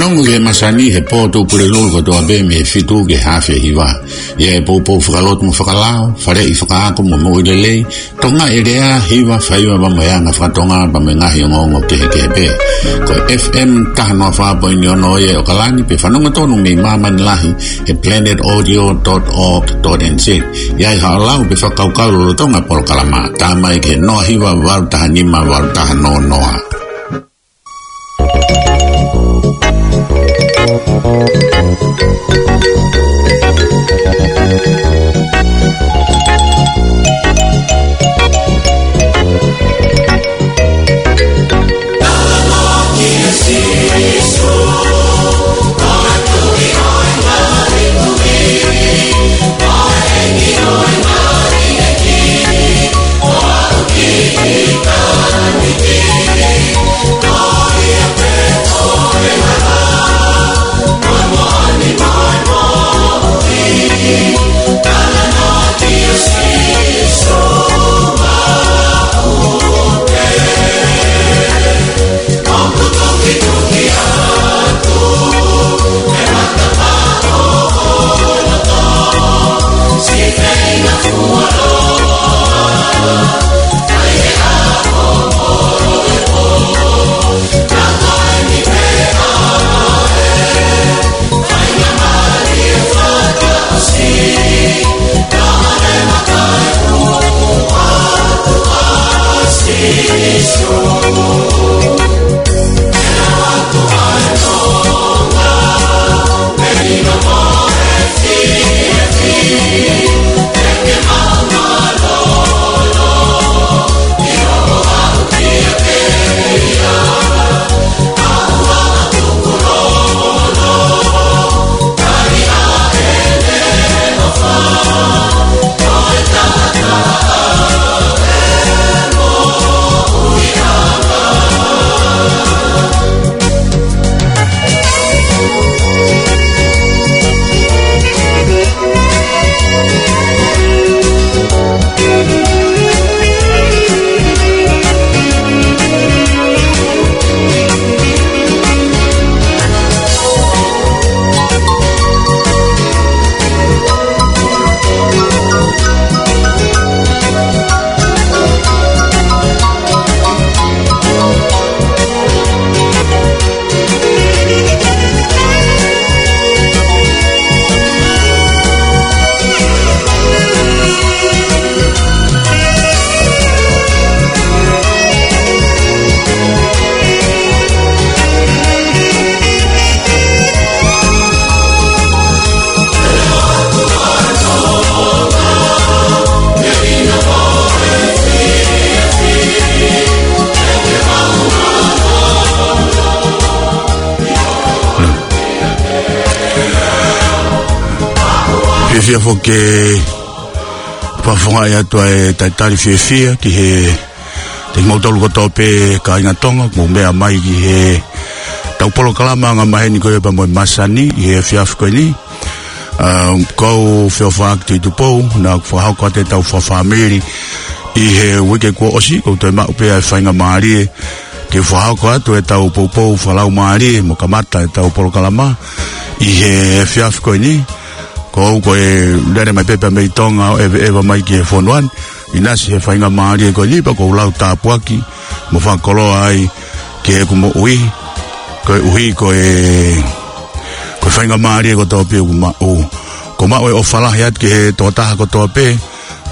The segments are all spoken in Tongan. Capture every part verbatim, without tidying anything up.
Fanongo ki he masani he pō Tuʻapulelulu kotoa pē mei he fitu ki he haafe hiva. ʻI he poupou fakalotu mo fakalao, faleʻi fakaako mo moʻui lelei, Tonga ʻi he lea, hiva, faiva pea mo e anga faka-Tonga pea mo e ngaahi ongoongo kehekehe pē. Ko e F M taha noa fā poini ono ia ʻi ʻOkalani, pea fanongo tonu mei māmani lahi he planet audio dot org dot N Z. ʻI ai haʻo lau pe fakakaukau lolotonga e polokalama, tā mai ki he noa hiva valu taha nima valu taha noa noa. Fiefia foki ke fakafofongaʻi atu ʻa e talitali fiefia ki he, kimoutolu kotoa pē kāinga Tonga, mou meʻa mai ki heʻetau polokalama angamaheni ko ia pea mo e masani ʻi he efiafi ko eni. ʻA, ko au Feofaʻaki Tuʻitupou, naʻa ku fakahoko atu ʻetau fakafāmili ʻi he uike kuo ʻosi, ʻoku ou toe maʻu pē ʻa e faingamālie ke fakahoko atu ʻetau poupou fakalaumālie mo kamata ʻetau polokalama ʻi he efiafi ko eni. Ko au ko e lele mai pē pea mei Tonga ʻo ʻeveʻeva mai ki he fonua ni, ʻinasi he faingamālie ko eni pea ʻoku ou lau tāpuaki mo fakakoloa ai ki heʻeku moʻui, koeʻuhi ko e, ko e faingamālie kotoa pē ʻoku maʻu. ʻOku ou maʻu e ʻofa lahi atu ki he tokotaha kotoa pē.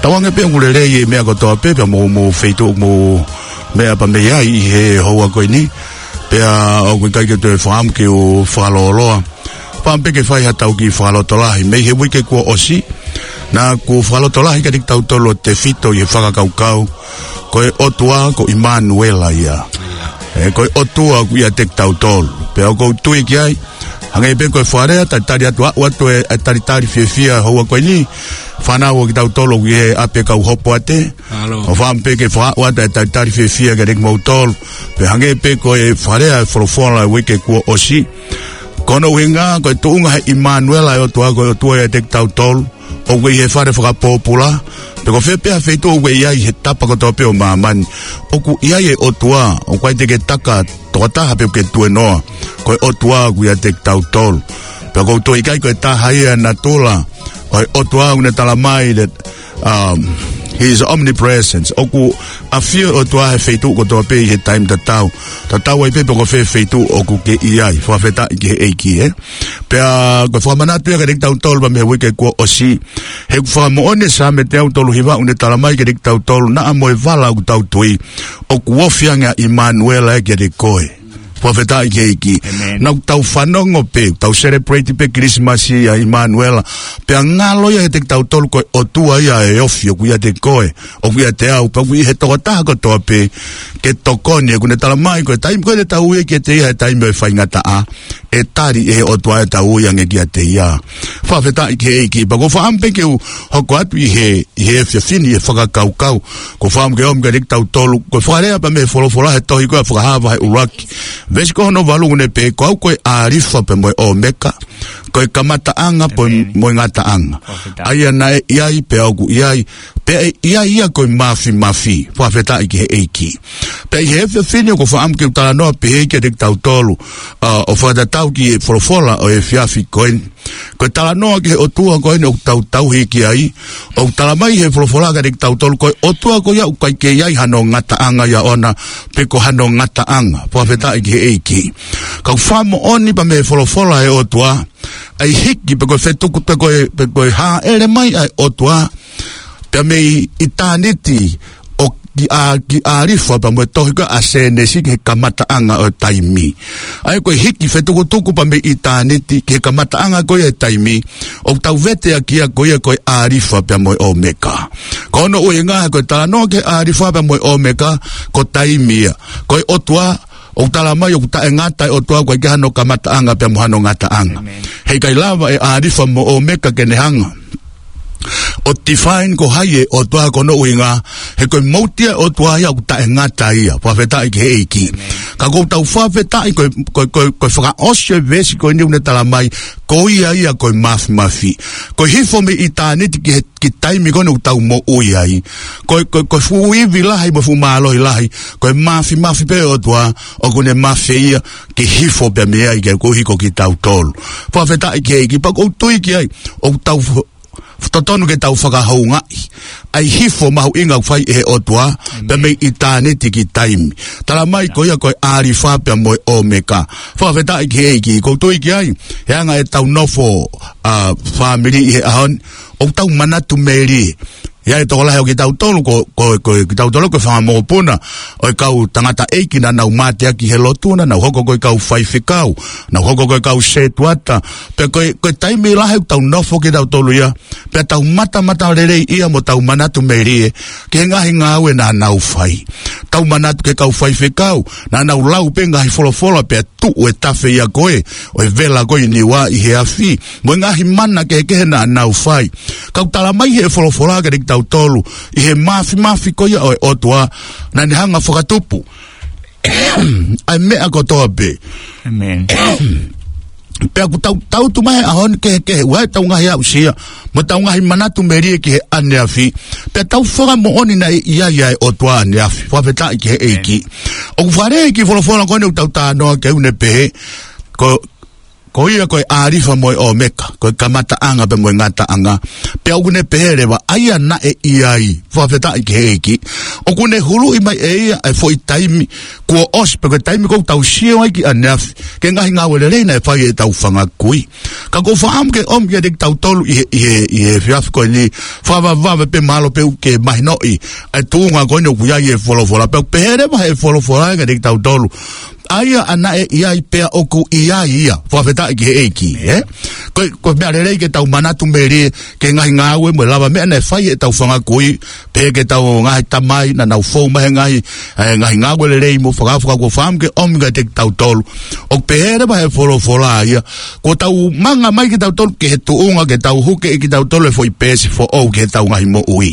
Tauange pē ʻoku lelei e meʻa kotoa pē, pea mo, mo e feituʻu ʻoku mou meʻa pē mei ai ʻi he houa ko eni. Pea ʻoku ʻikai ke u toe fakaʻamu ke u fakalōloa. Fakaʻamu pē ke fai haʻatau kiʻi fakalotolahi mei he uike kuo ʻosi. Naʻa ku fakalotolahi kiate kitautolu ʻo tefito ʻi he fakakaukau ko e ʻOtua ko ʻImanuela ia. ʻE, ko e ʻOtua ʻoku ʻiate kitautolu. Pea ʻoku ou tui ki ai, hangē pē ko e fakalea, talitali atu, aʻu atu e, e talitali fiefia houa ko eni. Fānau ʻo kitautolu ʻoku ʻi he ʻapi kau hopo ate. ʻO fakaʻamu pē ke fakaaʻu atu e talitali fiefia kiate kimoutolu. Pea hangē pē ko e fakalea e folofola e uike kuo ʻosi. Ko hono ʻuhinga, ko e tuʻunga he ʻImanuela e ʻOtua, ko e ʻOtua ʻiate kitautolu. ʻoku ʻi he fale fakapōpula, pe ko fē pē ha feituʻu ʻoku ʻi ai he tapa kotoa pē ʻo māmani, ʻoku ʻi ai e ʻOtua, ʻoku ʻikai te ke taka tokotaha pe ʻoku ke tuenoa, ko e ʻOtua ʻoku ʻiate kitautolu. Pea ʻoku ou tui ʻikai ko e taha ia e natula ʻo e ʻOtua ʻoku ne tala mai that, um, he is omnipresent. ʻOku ʻafio e ʻOtua he feituʻu kotoa pē ʻi he taimi tatau. Tatau ai pē pe ko fē feituʻu ʻoku ke ʻi ai. Fakafetaʻi ki he ʻEiki, ē. Pea ko e fakamanatu ia kiate kitautolu pea mei he uike kuo ʻosi. He ʻoku fakamoʻoni e Saame teau tolu hiva ʻoku ne tala mai kiate kitautolu, naʻa mo e vala ʻoku tau tui, ʻoku ofi ange ʻa ʻImanuela ia kiate koe. Fakafetaʻi ki he ʻEiki. Amen. Naʻa tau fanongo pē, tau celebrate pē Kilisimasi ʻa ʻImanuela. Pea ngalo ia kiate kitautolu ko e ʻOtua ia ʻe ofi ʻoku ʻiate koe, ʻoku ʻiate au, pea ʻoku ʻi he tokotaha kotoa pē ke tokoni, ʻoku ne tala mai ko e taimi ko ē te tau ui kiate ia he taimi ʻo e faingataʻa, ʻe tali ʻe he ʻOtua ʻetau ui ange kiate ia. Fakafetaʻi ki he ʻEiki. Pea ʻoku ou fakaʻamu pē ke u hoko atu ʻi he, ʻi he efiafi ni ʻi he fakakaukau. ʻOku ou fakaʻamu ke ʻomi kiate kitautolu, ko e fakalea pea mei he folofola he tohi ko ē ʻa Fakahā vahe ʻuluaki, veesi ko hono valu ʻoku ne pehē, ko au ko e ʻĀlifa pea mo e ʻŌmeka, ko e kamataʻanga pea mo e, amen, mo e ngataʻanga. Fakafetaʻi. ʻA ia naʻe ʻi ai pea ʻoku ʻi ai, pea ʻe ʻi ai ia ko e Māfimafi. Fakafetaʻi ki he ʻEiki. Pea ʻi he efiafi ni ʻoku ou fakaʻamu ke u talanoa pehē kiate kitautolu, ʻa, ʻo fakatatau ki he folofola ʻo e efiafi ko eni. Ko e talanoa ki he ʻOtua ko eni ʻoku tau tauhi ki ai, ʻoku tala mai he folofola kiate kitautolu ko e ʻOtua ko ia ʻoku ʻikai ke ʻi ai hano ngataʻanga ia ʻoʻona, pe ko hano ngataʻanga. Fakafetaʻi ki he ʻEiki. Ka ʻoku fakamoʻoni pea mei he folofola ʻa e ʻOtua, ʻa e hiki pe ko e fetuku pe ko e, pe ko e hāʻele mai ʻa e ʻOtua pea mei ʻitāniti ʻo ki ʻā-, ki ʻĀlifa pea mo e tohi ko ē ʻa Sēnesi ki he kamataʻanga ʻo e taimi. ʻA ia ko e hiki fetukutuku pea mei ʻitāniti ki he kamataʻanga ko ia e taimi, ʻoku tau vete ʻaki ia ko ia ko e ʻĀlifa pea mo e ʻŌmeka. Ko hono ʻuhinga he ko e talanoa ki he ʻĀlifa pea mo e ʻŌmeka, ko taimi ia. Ko e ʻOtua, ʻoku tala mai ʻoku taʻengata e ʻOtua, ʻoku ʻikai ke ʻi ai hano kamataʻanga pea mo hano ngataʻanga. Amen. Heʻikai lava e ʻĀlifa mo e ʻŌmeka ke ne hanga ʻo define ko hai e ʻOtua, ko hono ʻuhinga he ko e mouti ia e ʻOtua ia ʻoku taʻengata ia. Fakafetaʻi ki he ʻEiki. Amen. Ka ʻoku tau fakafetaʻi ko e, ko e, ko e, ko e fakaʻosi e veesi ko eni ʻoku ne tala mai, ko ia ia ko e Māfimafi. Ko e hifo mei ʻitāniti ki he, ki he taimi ko eni ʻoku tau moʻui ai, ko e, ko e, ko e fuʻu ivi lahi mo e fuʻu mālohi lahi, ko e Māfimafi pē ʻo e ʻOtua, ʻoku ne mafeia ke hifo pea mei ai ke koeʻuhi ko kitautolu. Fakafetaʻi ki he ʻEiki. Pea ʻoku ou tui ki ai, ʻoku tau f-, totonu ke tau fakahoungaʻi ʻa e hifo mahuʻinga ʻoku fai ʻe he ʻOtua, amen, pea mei ʻitāniti ki taimi. Tala mai ko ia ko e ʻĀlifa pea mo e ʻŌmeka. Fakafetaʻi ki he ʻEiki. ʻOku ou tui ki ai, he anga ʻetau nofo, ʻa, fāmili ʻi he ʻaho ni, ʻoku tau manatu melie. ʻI ai e tokolahi ʻo kitautolu ko, ko, ko kitautolu ko e fanga mokopuna ʻo e kau tangataʻeiki naʻa nau mateaki he lotu, naʻa nau hoko ko e kau faifekau, nau hoko ko e kau sētuata. Pea ko e, ko e taimi lahi ʻoku tau nofo kitautolu ia, pea tau matamatalelei ia mo tau manatu melie ki he ngaahi ngāue naʻa nau fai. Tau manatu ki he kau faifekau, naʻa nau lau pē ngaahi folofola pea tuʻu e tafe ia ko ē ʻo e vela ko ē ʻi Niua ʻi he afi, mo e ngaahi mana kehekehe naʻa nau fai. Ka ʻoku tala mai he folofola kiate kitautolu, ʻi he Māfimafi ko ia ʻo e ʻOtua, naʻa ne hanga ʻo fakatupu ʻa e meʻa kotoa pē. Amen. Pea ʻoku tau, tau tuʻu mai he ʻaho ni kehekehe, ʻoku ʻi ai ʻetau ngaahi aʻusia mo ʻetau ngaahi manatu melie ki he ʻaneafi, pea tau fakamoʻoni naʻe ʻi ai ʻa e ʻOtua ʻaneafi. Fakafetaʻi ki he ʻEiki. Amen. ʻOku fakalea e kiʻi folofola ko eni ʻoku tau talanoa ki ai ʻoku ne pehē, ko, ko ia ko e ʻĀlifa mo e ʻŌmeka, ko e kamataʻanga pea mo e ngataʻanga. Pea ʻoku ne pehē leva, ʻa ia naʻe ʻi ai. Fakafetaʻi ki he ʻEiki. ʻOku ne huluʻi mai ʻe ia ʻa e foʻi taimi kuo ʻosi, pe ko e taimi ʻoku tau sio ai ki ʻaneafi ki he ngaahi ngāue lelei naʻe fai ʻe heʻetau fanga kui. Ka ʻoku ou fakaʻamu ke ʻomi kiate kitautolu ʻi he, ʻi he, ʻi he efiafi ko eni, fakavavevave pē mahalo pē ʻoku ke mahinoʻi ʻa e tuʻunga ko eni ʻoku ʻi ai e folofola. Pea ʻoku pehē leva he folofola kiate kitautolu, ʻa ia naʻe ʻi ai pea ʻoku ʻi ai ia. Fakafetaʻi ki he ʻEiki, ē? Ko e, ko e meʻa lelei ke tau manatu melie ki he ngaahi ngāue mo e lavameʻa naʻe fai ʻe heʻetau fanga kui, pehē ki heʻetau ngaahi tamai naʻa nau fou mai he ngaahi, ē, ngaahi ngāue lelei mo fakaofo. Ka ʻoku ou fakaʻamu ke ʻomi kiate kitautolu, ʻoku pehē leva he folofola ia, kuo tau manga mai kitautolu ki he tuʻunga ke tau huke ʻe kitautolu e foʻi peesi foʻou ki heʻetau ngaahi moʻui.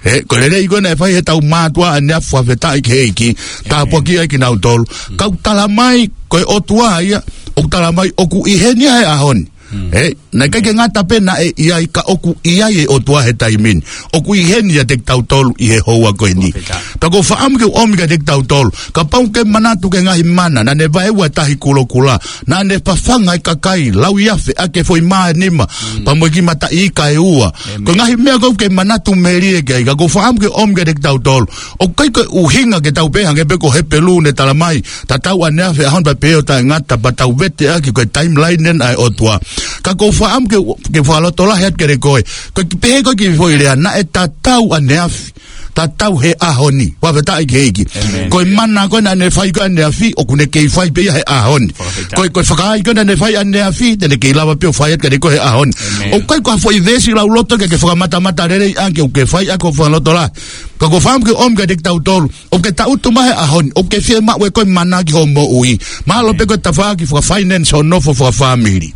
Ē, ko e lelei ko ē naʻe fai ʻe heʻetau mātuʻa ʻaneafi, fakafetaʻi ki he ʻEiki, tāpuakiʻi ai kinautolu. Ka ʻoku tala mai, ko e ʻOtua ia, ʻoku tala mai, ʻoku ʻi heni ia he ʻaho ni. Ē, naʻe ʻikai ke ngata pē naʻe ʻi ai, ka ʻoku ʻi ai e ʻOtua he taimi ni. ʻOku ʻi heni ʻiate kitautolu ʻi he houa ko eni. Pea ʻoku ou fakaʻamu ke u ʻomi kiate kitautolu, kapau ʻoku ke manatu ki he ngaahi mana naʻa ne vaeua e Tahi Kulokula, naʻa ne fafanga e kakai lauiafe ʻaki e foʻi mā ʻe nima, pea mo e kiʻi mataʻi ika ʻe ua. Ko e ngaahi meʻa ko ē ʻoku ke manatu melie ki ai, ka ʻoku ou fakaʻamu ke u ʻomi kiate kitautolu, ʻoku ʻikai ko e ʻuhinga ke tau pehē hangē pē ko Hepelū naʻe talamai, tatau ʻaneafi, ʻaho ni pea pehē ʻo taʻengata, pea tau vete ʻaki ko e timeline ʻa e ʻOtua. Ka ʻoku ou fakaʻamu ke, ke fakalotolahi atu kiate koe, ko e kiʻi pehē ko ē kiʻi foʻi lea, naʻe tatau ʻaneafi, tatau he ʻaho ni. Fakafetaʻi ki he ʻEiki. Ko e mana ko ē naʻa ne fai ko ē ʻaneafi, ʻoku ne kei fai pē ia he ʻaho ni. Ko e, ko e fakaai ko ē naʻa ne fai ʻaneafi, te ne kei lava pē ʻo fai atu kiate koe he ʻaho ni. ʻOku ʻikai ko ha foʻi veesi lauloto ke ke fakamatamatalelei ʻaki ʻoku ke fai ʻaki hoʻo fakalotolahi. Ka ʻoku ou fakaʻamu ke u ʻomi kiate kitautolu, ʻoku ke tangutu mai he ʻaho ni, ʻoku ke fiemaʻu ʻe koe mana ki hoʻo moʻui. Mahalo pē ko e tafaʻaki fakafinance hoʻo nofo fakafāmili.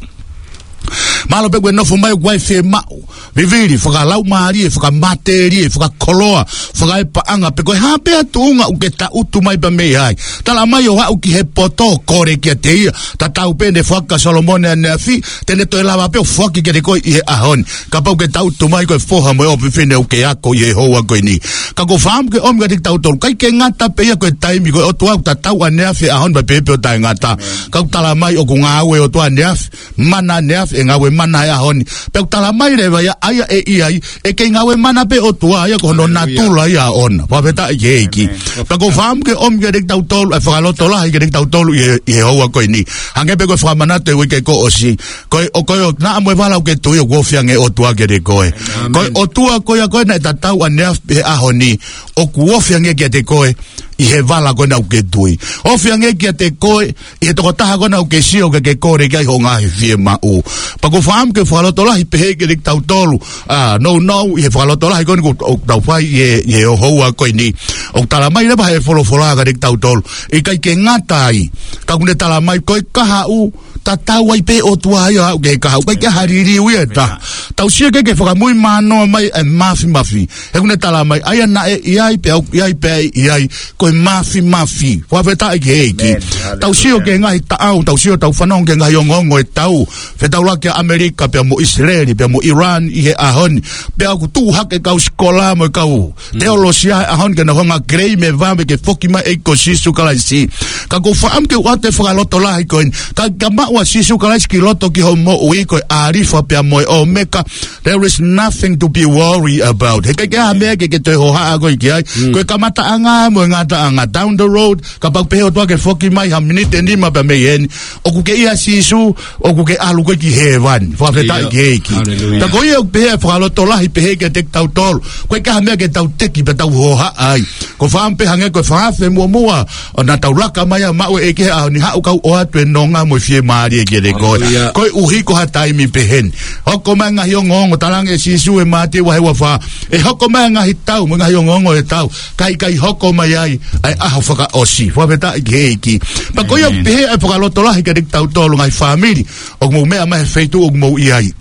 Mahalo pē ko e nofo mai ʻoku ʻi ai e fiemaʻu vivili, fakalaumālie, fakamatelie, fakakoloa, fakaepaʻanga, pe ko e hā pē ha tuʻunga ʻoku ke tangutu mai pea mei ai. Talamai ʻo aʻu ki he poto, kole kiate ia. Tatau pē naʻe foaki kia Solomone ʻaneafi, te ne toe lava pē ʻo foaki kiate koe ʻi he ʻaho ni. Kapau ʻoku ke tangutu mai ko e foha mo e ʻofefine ʻoku ke ako ʻi he houa ko eni. Ka ʻoku ou fakaʻamu ke u ʻomi kiate kitautolu, ʻikai ke ngata pē ia ko e taimi, ko e ʻOtua ʻoku tatau ʻaneafi, ʻaho ni pea pehē pē ʻo taʻengata. Ka ʻoku talamai ʻoku ngāue e ʻOtua ʻaneafi, mana ʻaneafi, ʻe ngāue mana he ʻaho ni. Pea ʻoku talamai leva ia, ʻa ia ʻe ʻi ai, ʻe kei ngāue mana pē ʻOtua ia, ko hono natula ia ʻoʻona. Fakafetaʻi ki he ʻEiki. Pea ʻoku ou fakaʻamu ke u ʻomi kiate kitautolu e fakalotolahi kiate kitautolu ʻi he, ʻi he houa ko eni. Hangē pē ko e fakamanatu e uike kuo ʻosi. Ko e, ʻo ko e, ʻo naʻa mo e vala ʻoku ke tui, ʻoku ofi ange e ʻOtua kiate koe. Ko e ʻOtua ko ia ko ē naʻe tatau ʻaneafi he ʻaho ni, ʻoku ofi ange kiate koe ʻi he vala ko ena ʻoku ke tui. Ofi ange kiate koe ʻi he tokotaha ko ena ʻoku ke sio ke ke kole ki ai hoʻo ngaahi fiemaʻu. Pea ʻoku ou fakaʻamu ke u fakalotolahi pehē kiate kitautolu, ʻa, nounou ʻi he fakalotolahi ko eni ʻoku, ʻoku tau fai ʻi he, ʻi he houa ko eni. ʻOku talamai leva he folofola kiate kitautolu, ʻikai ke ngata ai, ka ʻoku ne talamai ko e kahaʻu, tatau ai pē ʻOtua ia ʻo aʻu ki he kahaʻu, ʻikai ke ʻi ai ha liliu ia ʻe taha. Tau sio ki he, ki he fakamuimui mānoa mai e māfimafi. He ʻoku ne talamai, ʻa ia naʻe ʻi ai pea ʻoku ʻi ai pea ʻe ʻi ai, ko e māfimafi. Fakafetaʻi ki he ʻEiki. Tau sio ki he ngaahi taʻau, tau sio, tau fanongo ki he ngaahi ongoongo e tau. Fetaulaki ʻa ʻAmelika pea mo ʻIsileli, pea mo ʻIlani ʻi he ʻaho ni. Pea ʻoku tuʻu hake e kau sikola mo e kau teolosia he ʻaho ni ke nau hanga ʻo claim e vave ke foki mai e ʻEiki ko Sīsū Kalaisi. Ka ʻoku ou fakaʻamu ke u ʻoatu e fakalotolahi ko eni. Ka, ka maʻu ʻa Sīsū Kalaisi ki loto ki hoʻo moʻui, ko e ʻAlifa pea mo e ʻOmeka. There is nothing to be worried about. He ʻikai ke ʻi ai ha meʻa ke, ke toe hohaʻa koe ki ai. Ko e kamataʻanga mo e ngataʻanga. Down the road, kapau pehē ʻOtua ke foki mai ha miniti ʻe nima pea mei heni, ʻoku ke ʻia Sīsū, ʻoku ke ʻalu koe ki hēvani. Fakafetaʻi ki he ʻEiki. Pea ko ia ʻoku pehē e fakalotolahi pehē kiate kitautolu, ʻoku ʻikai ha meʻa ke tau teki pea tau hohaʻa ai. ʻOku ou fakaʻamu pē hangē ko e fakaafe muʻomuʻa, ʻo naʻa tau laka mai ʻo maʻu e ʻEiki he ʻaho ni, haʻu kau ʻoatu e nonga mo e fiemālie kiate koe. Koeʻuhi ko ha taimi pehē ni. Hoko mai e ngaahi ongoongo, talaange ʻe Sīsū ʻi he Mātiu vahe uofā, ʻe hoko mai e ngaahi tau mo e ngaahi ongoongo ʻo e tau, ka ʻikai hoko mai ai ʻa e ʻaho fakaʻosi. Fakafetaʻi ki he ʻEiki. Pea ko ia ʻoku pehē e fakalotolahi kiate kitautolu ngaahi fāmili ʻoku mou meʻa mai he feituʻu ʻoku mou ʻi ai.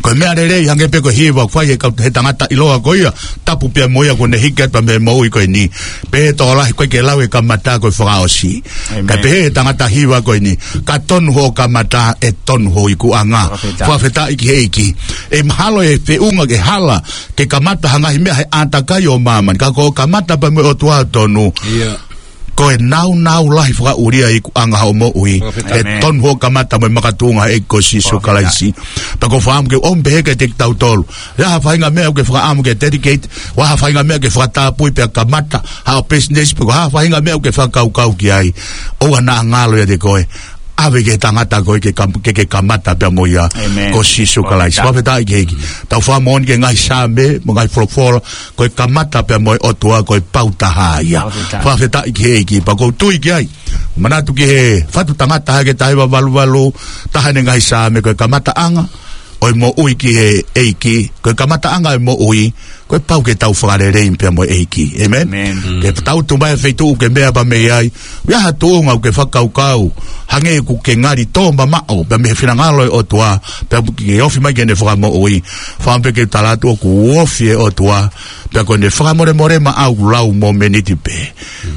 Ko e meʻa lelei hangē pē ko e hiva ʻoku fai he kau, he tangata ʻiloa ko ia, tapu pea mo ia kuo ne hiki atu mei he moʻui ko eni. Pea tokolahi ʻoku ʻikai ke lau e kamata ko e fakaʻosi. Kae pehē ʻe he tangata hiva ko eni, ka tonu hoʻo kamata ʻe tonu ho ikuʻanga. Fakafetaʻi ki he ʻEiki. ʻE mahalo ʻe feʻunga ke hala ke kamata ha ngaahi meʻa he ʻātakai ʻo māmani. Ka ko hoʻo kamata pea mo e ʻOtua ʻoku tonu, ko e nāunau lahi fakaʻulia e ikuʻanga hoʻo moʻui. ʻE tonu hoʻo kamata mo e makatuʻunga he ʻEiki ko Sīsū Kalaisi. Pea ʻoku ou fakaʻamu ke u ʻomi pehē kiate kitautolu, ʻi ai ha faʻahinga meʻa ʻoku ke fakaʻamu ke dedicate, ʻi ai ha faʻahinga meʻa ʻoku ke fakatapui pea kamata, ha ʻo business, pe ko ha faʻahinga meʻa ʻoku ke fakakaukau ki ai, ʻoua naʻa ngalo ʻiate koe. ʻAve ki he tangata ko ē ke kam-, ke, ke kamata pea mo ia, ko Sīsū Kalaisi. Fakafetaʻi ki he ʻEiki. Tau fakamoʻoni ki he ngaahi Saame mo e ngaahi folofola, ko e kamata pea mo e ʻOtua ko e pau taha ia. Fakafetaʻi ki he ʻEiki. Pea ʻoku ou tui ki ai, manatu ki he fatu tangata hake taha hiva valu valu, taha ʻene ngaahi Saame, ko e kamataʻanga ʻo e moʻui ki he ʻEiki, ko e kamataʻanga ʻo e moʻui, ko e pau ke tau fakalelei pea mo e ʻEiki. ʻĒmeni? Ke tau tuʻu mai he feituʻu ʻoku ke meʻa pea mei ai, ʻi ai ha tuʻunga ʻoku ke fakakaukau hangē ʻoku ke ngali tō mamaʻo pea mei he finangalo e ʻOtua, pea ke ofi mai ki heʻene fakamoʻui. Fakaʻamu pē ke u tala atu ʻoku ofi e ʻOtua, pea ko ʻene fakamolemole maʻau lau momeniti pē,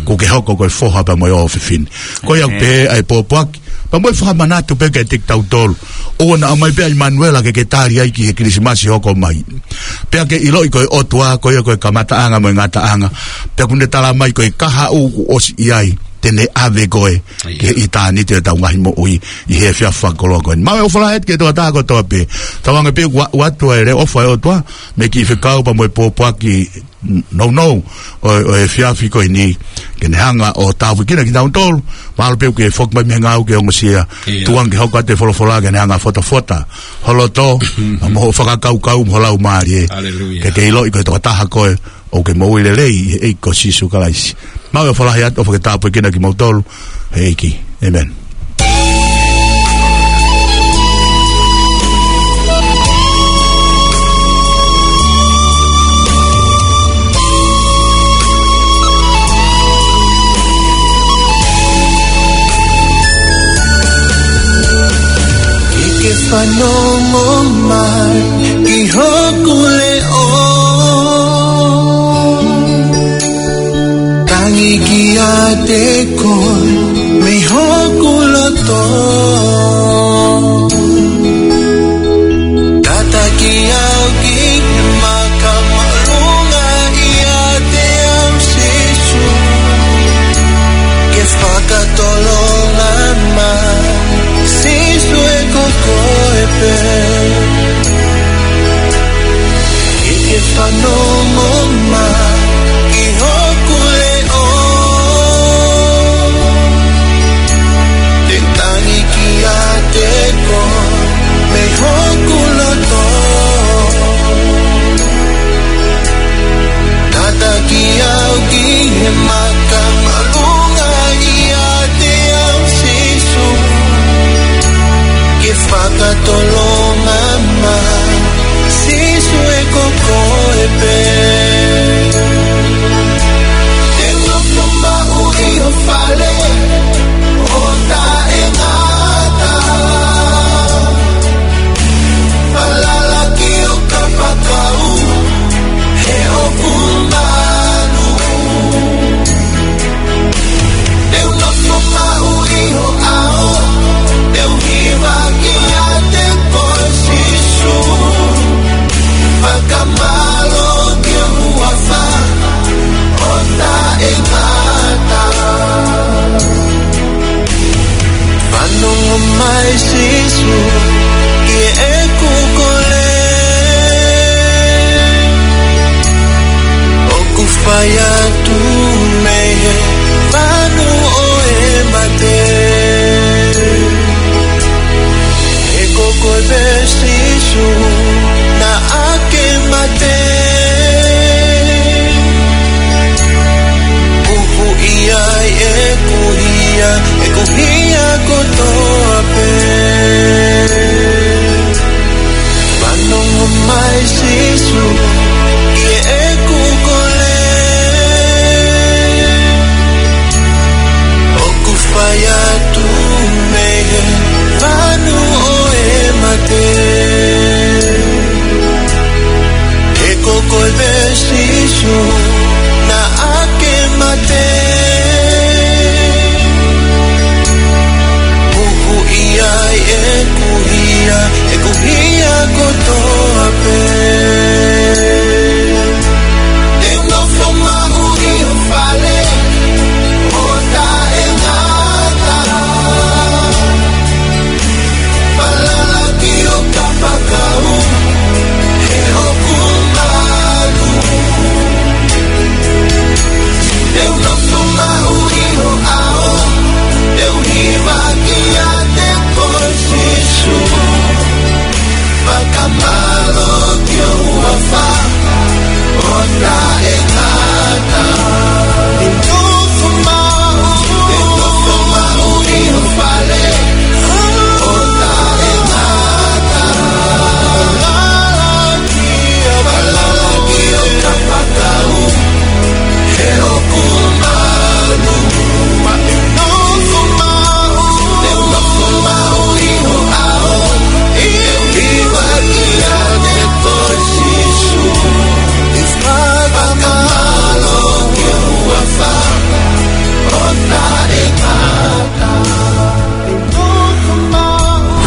kuo ke hoko ko e foha pea mo e ʻofefine. Ko ia ʻoku pehē ʻa e pōpoaki, Pea mo e fakamanatu pē kiate kitautolu. ʻOua naʻa ʻomai pē ʻa ʻImanuela ke ke tali ai ki he Kilisimasi hoko mai. Pea ke ʻiloʻi ko e ʻOtua, ko ia ko e kamataʻanga mo e ngataʻanga. Pea ʻoku ne tala mai ko e kahaʻu kuo ʻosi ʻi ai, te ne ʻave koe ki he ʻitāniti ʻo ʻetau ngaahi moʻui ʻi he efiafi fakakoloa ko eni. Maʻu e ʻofa lahi atu ki he tokotaha kotoa pē. Tauange pē ʻoku ʻoatu ʻa e leʻo ʻofa ʻa e ʻOtua mei he kiʻi fekau pea mo e pōpoaki nounou ʻo, ʻo e efiafi ko eni, ke ne hanga ʻo tāpuekina kitautolu. Mahalo pē ʻoku ke foki mai mei he ngāue ke ongosia. Tuku ange ke hoko atu e folofola ke ne hanga ʻo fotofota ho loto, mo hoʻo fakakaukau, mo ho laumālie. Ke ke ʻiloʻi ko e tokotaha koe ʻoku ke moʻui lelei ʻi he ʻEiki ko Sīsū Kalaisi. Maʻu e ʻofa lahi atu, ʻofa ke tāpuekina kimoutolu ʻe he ʻEiki. ʻĒmeni. Ke ke fanongo mai ki hoku leʻo. Tangi kiate koe mei hoku loto. Tataki au ki he maka māʻolunga ʻiate au Sīsū. Ke fakatolonga mai Sīsū ʻe ko koe pē. Ke ke fanongo mai ki hoku leʻo. Te u tangi kiate koe mei hoku loto. Tataki au ki he maka māʻolunga ʻiate au Sīsū. Ke fakatolonga mai Sīsū ʻe ko koe pē. Te u nofo maʻu ʻi ho fale ʻo taʻengata. Falala ki ho kapakau he ʻoku malu. Te u nofo maʻu ʻi ho ʻao, te u hiva kiate koe Sīsū. Fakamālō ki ho huafa ʻo taʻengata. Fanongo mai Sīsū ki heʻeku kole. ʻOku fai atu mei he manu ʻo e mate. He ko koe pē Sīsū naʻa ke mate. Huhuʻi ai ʻeku hia, ʻeku hia kotoa pē.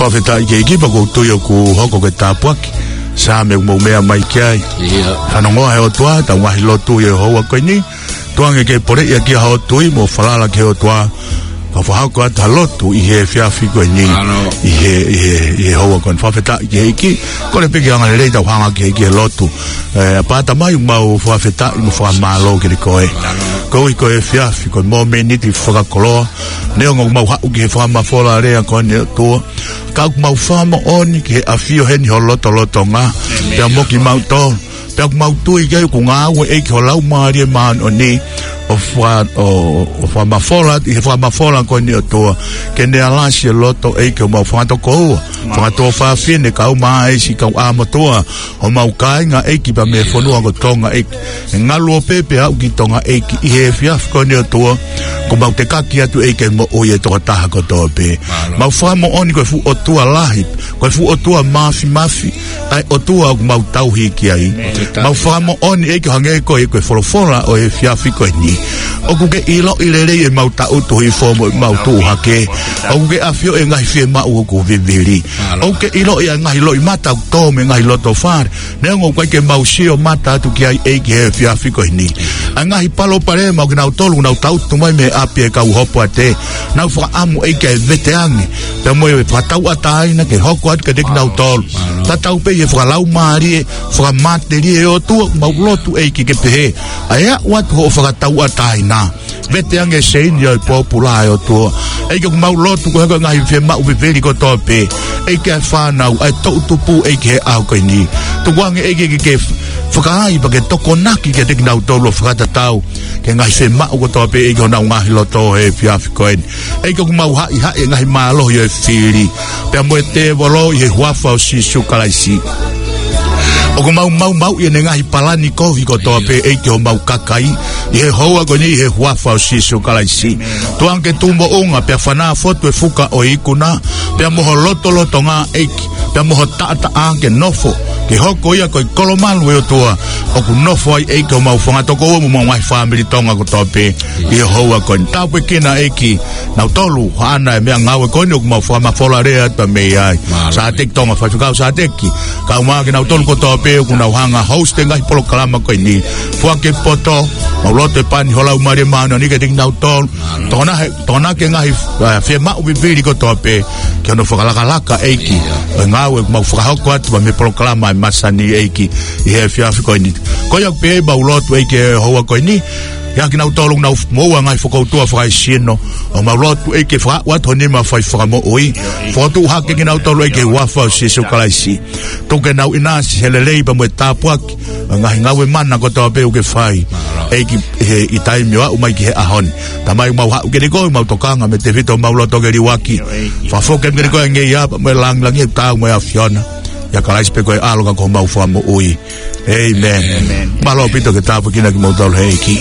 Fakafetaʻi ki he ʻEiki pea ʻoku ou tui ʻoku hoko ko e tāpuaki Saame ʻoku mou meʻa mai ki ai. ʻIo. Fanongoa he ʻOtua ʻetau ngaahi lotu ʻi he houa ko eni. Tuku ange ke poleʻi ʻaki haʻo tui mo falala ki he ʻOtua. Pea fakahoko atu ha lotu ʻi he efiafi ko eni. Mālō. ʻI he, ʻi he, ʻi he houa ko eni. Fakafetaʻi ki he ʻEiki. Kole pē ke angalelei ʻetau hanga ki he ʻEiki he lotu. ʻE, ʻApā Tamai, ʻoku mau fakafetaʻi mo fakamālō kiate koe. Mālō. Koeʻuhi ko e efiafi, ko e mōmeniti fakakoloa. Neongo ʻoku mau haʻu ki he fakamafola lea ko eni ʻOtua, ka ʻoku mau fakamoʻoni ki he ʻafio heni ho lotolotonga. ʻĒmeni. Pea mo kimautolu. Pea ʻoku mau tui ki ai ʻoku ngāue ʻEiki ho Laumālie Māʻoniʻoni ʻo fa-, ʻo, ʻo fakamafola, ʻi he fakamafola ko eni ʻOtua, ke ne alasi e loto ʻEiki ʻo homau fanga tokoua, fanga tuofāfine, kau mai siʻi kau ʻāmotua, homau kāinga ʻEiki pea mei he fonua ko Tonga ʻEiki. ʻE ngaluope pea aʻu ki Tonga ʻEiki ʻi he efiafi ko eni ʻOtua, ʻoku mau tekaki atu ʻEiki e moʻui e tokotaha kotoa pē. Mālō. Mau fakamoʻoni ko e fuʻu ʻOtua lahi, ko e fuʻu ʻOtua māfimafi, ʻa e ʻOtua ʻoku mau tauhi ki ai. Mau fakamoʻoni ʻEiki ʻo hangē ko e, ko e folofola ʻo e efiafi ko eni. ʻOku ke ʻiloʻi lelei ʻemau tangutu hifo mo ʻemau tuʻu hake. ʻOku ke ʻafioʻi e ngaahi fiemaʻu ʻoku vivili. ʻOku ke ʻiloʻi ʻa e ngaahi loʻimata ʻoku tō mei he ngaahi loto fale. Neongo ʻoku ʻikai ke mau sio mata atu ki ai ʻEiki he efiafi ko eni. ʻA e ngaahi palopalema ʻo kinautolu ʻoku nau tangutu mai mei he ʻapi e kau hopoate. Nau fakaʻamu ʻEiki ke veteange. Pea mo e fakatauʻatāina ke hoko atu kiate kinautolu. Mālō. Tatau pē ʻi he fakalaumālie, fakamatelie ʻOtua, mau lotu ʻEiki ke pehē. ʻA e aʻu atu hoʻo fakatauʻatāina. Veteange e seini ʻo e pōpula ʻe ʻOtua. ʻEiki ʻoku mau lotu ko e hoko e ngaahi fiemaʻu vivili kotoa pē. ʻEiki ʻa e fānau, ʻa e toʻutupu ʻEiki he ʻaho ko eni. Tuku ange ʻEiki ke, ke fakaai pea ke tokonaki kiate kinautolu ʻo fakatatau ki he ngaahi fiemaʻu kotoa pē ʻEiki honau ngaahi loto he efiafi ko eni. ʻEiki ʻoku mau haʻihaʻi e ngaahi mālohi ʻo e fili. Pea mo e tēvolo ʻi he huafa ʻo Sīsū Kalaisi. ʻOku mau maumauʻi ʻene ngaahi palani kovi kotoa pē ʻEiki homau kakai. ʻI he houa ko eni ʻi he huafa ʻo Sīsū Kalaisi. Tuku ange ke tuʻu moʻunga pea fanā fotu e fuka ʻo e ikuna. Pea mo ho lotolotonga ʻEiki. Pea mo ho taʻataʻa ke nofo. Ke hoko ia ko e kolomalu ʻe ʻOtua. ʻOku nofo ai ʻEiki homau fanga tokoua mo homau ngaahi fāmili Tonga kotoa pē. ʻI he houa ko eni. Tāpuekina ʻEiki. Nautolu, haʻana e meʻangāue ko eni ʻoku mau fakamafola lea atu mei ai. Mālō. Sāteki Tonga, faifekau Sāteki. Kau mai kinautolu kotoa pē ʻoku nau hanga host e ngaahi polokalama ko eni. Foaki e poto, mau lotu e pani ho Laumālie Māʻoniʻoni kiate kinautolu. Mālō. Tokona he, tokona ki he ngaahi, ʻa, fiemaʻu vivili kotoa pē. Ki hono fakalakalaka ʻEiki. ʻIo. ʻO e ngāue ʻoku mau fakahoko atu mei he polokalama ʻa e masani ʻEiki. ʻI he efiafi ko eni. Ko ia pē mau lotu ʻEiki he houa ko eni. ʻIa kinautolu ʻoku nau moʻua ngaahi fokoutua fakaesino. ʻOku mau lotu ʻEiki ke fakaaʻu atu ho nima fai fakamoʻui. Fokotuʻu hake kinautolu ʻEiki he huafa ʻo Sīsū Kalaisi. Tuku ke nau ʻinasi he lelei pea mo e tāpuaki. ʻA e ngaahi ngāue mana kotoa pē ʻoku ke fai. ʻEiki he ʻi taimi ʻo aʻu mai ki he ʻaho ni. Tamai ʻoku mau haʻu kiate koe mau tokanga mei he tefito ʻo mau loto ke liuaki. Fakafoki kiate koe ʻa e ngeia pea mo e langilangi ʻoku taau mo e ʻAfiona. ʻIa Kalaisi pē ko e ʻAlo ka ko homau Fakamoʻui. ʻĒmeni. ʻĒmeni. Mālō ʻaupito ke tāpuekina kimoutolu he ʻEiki.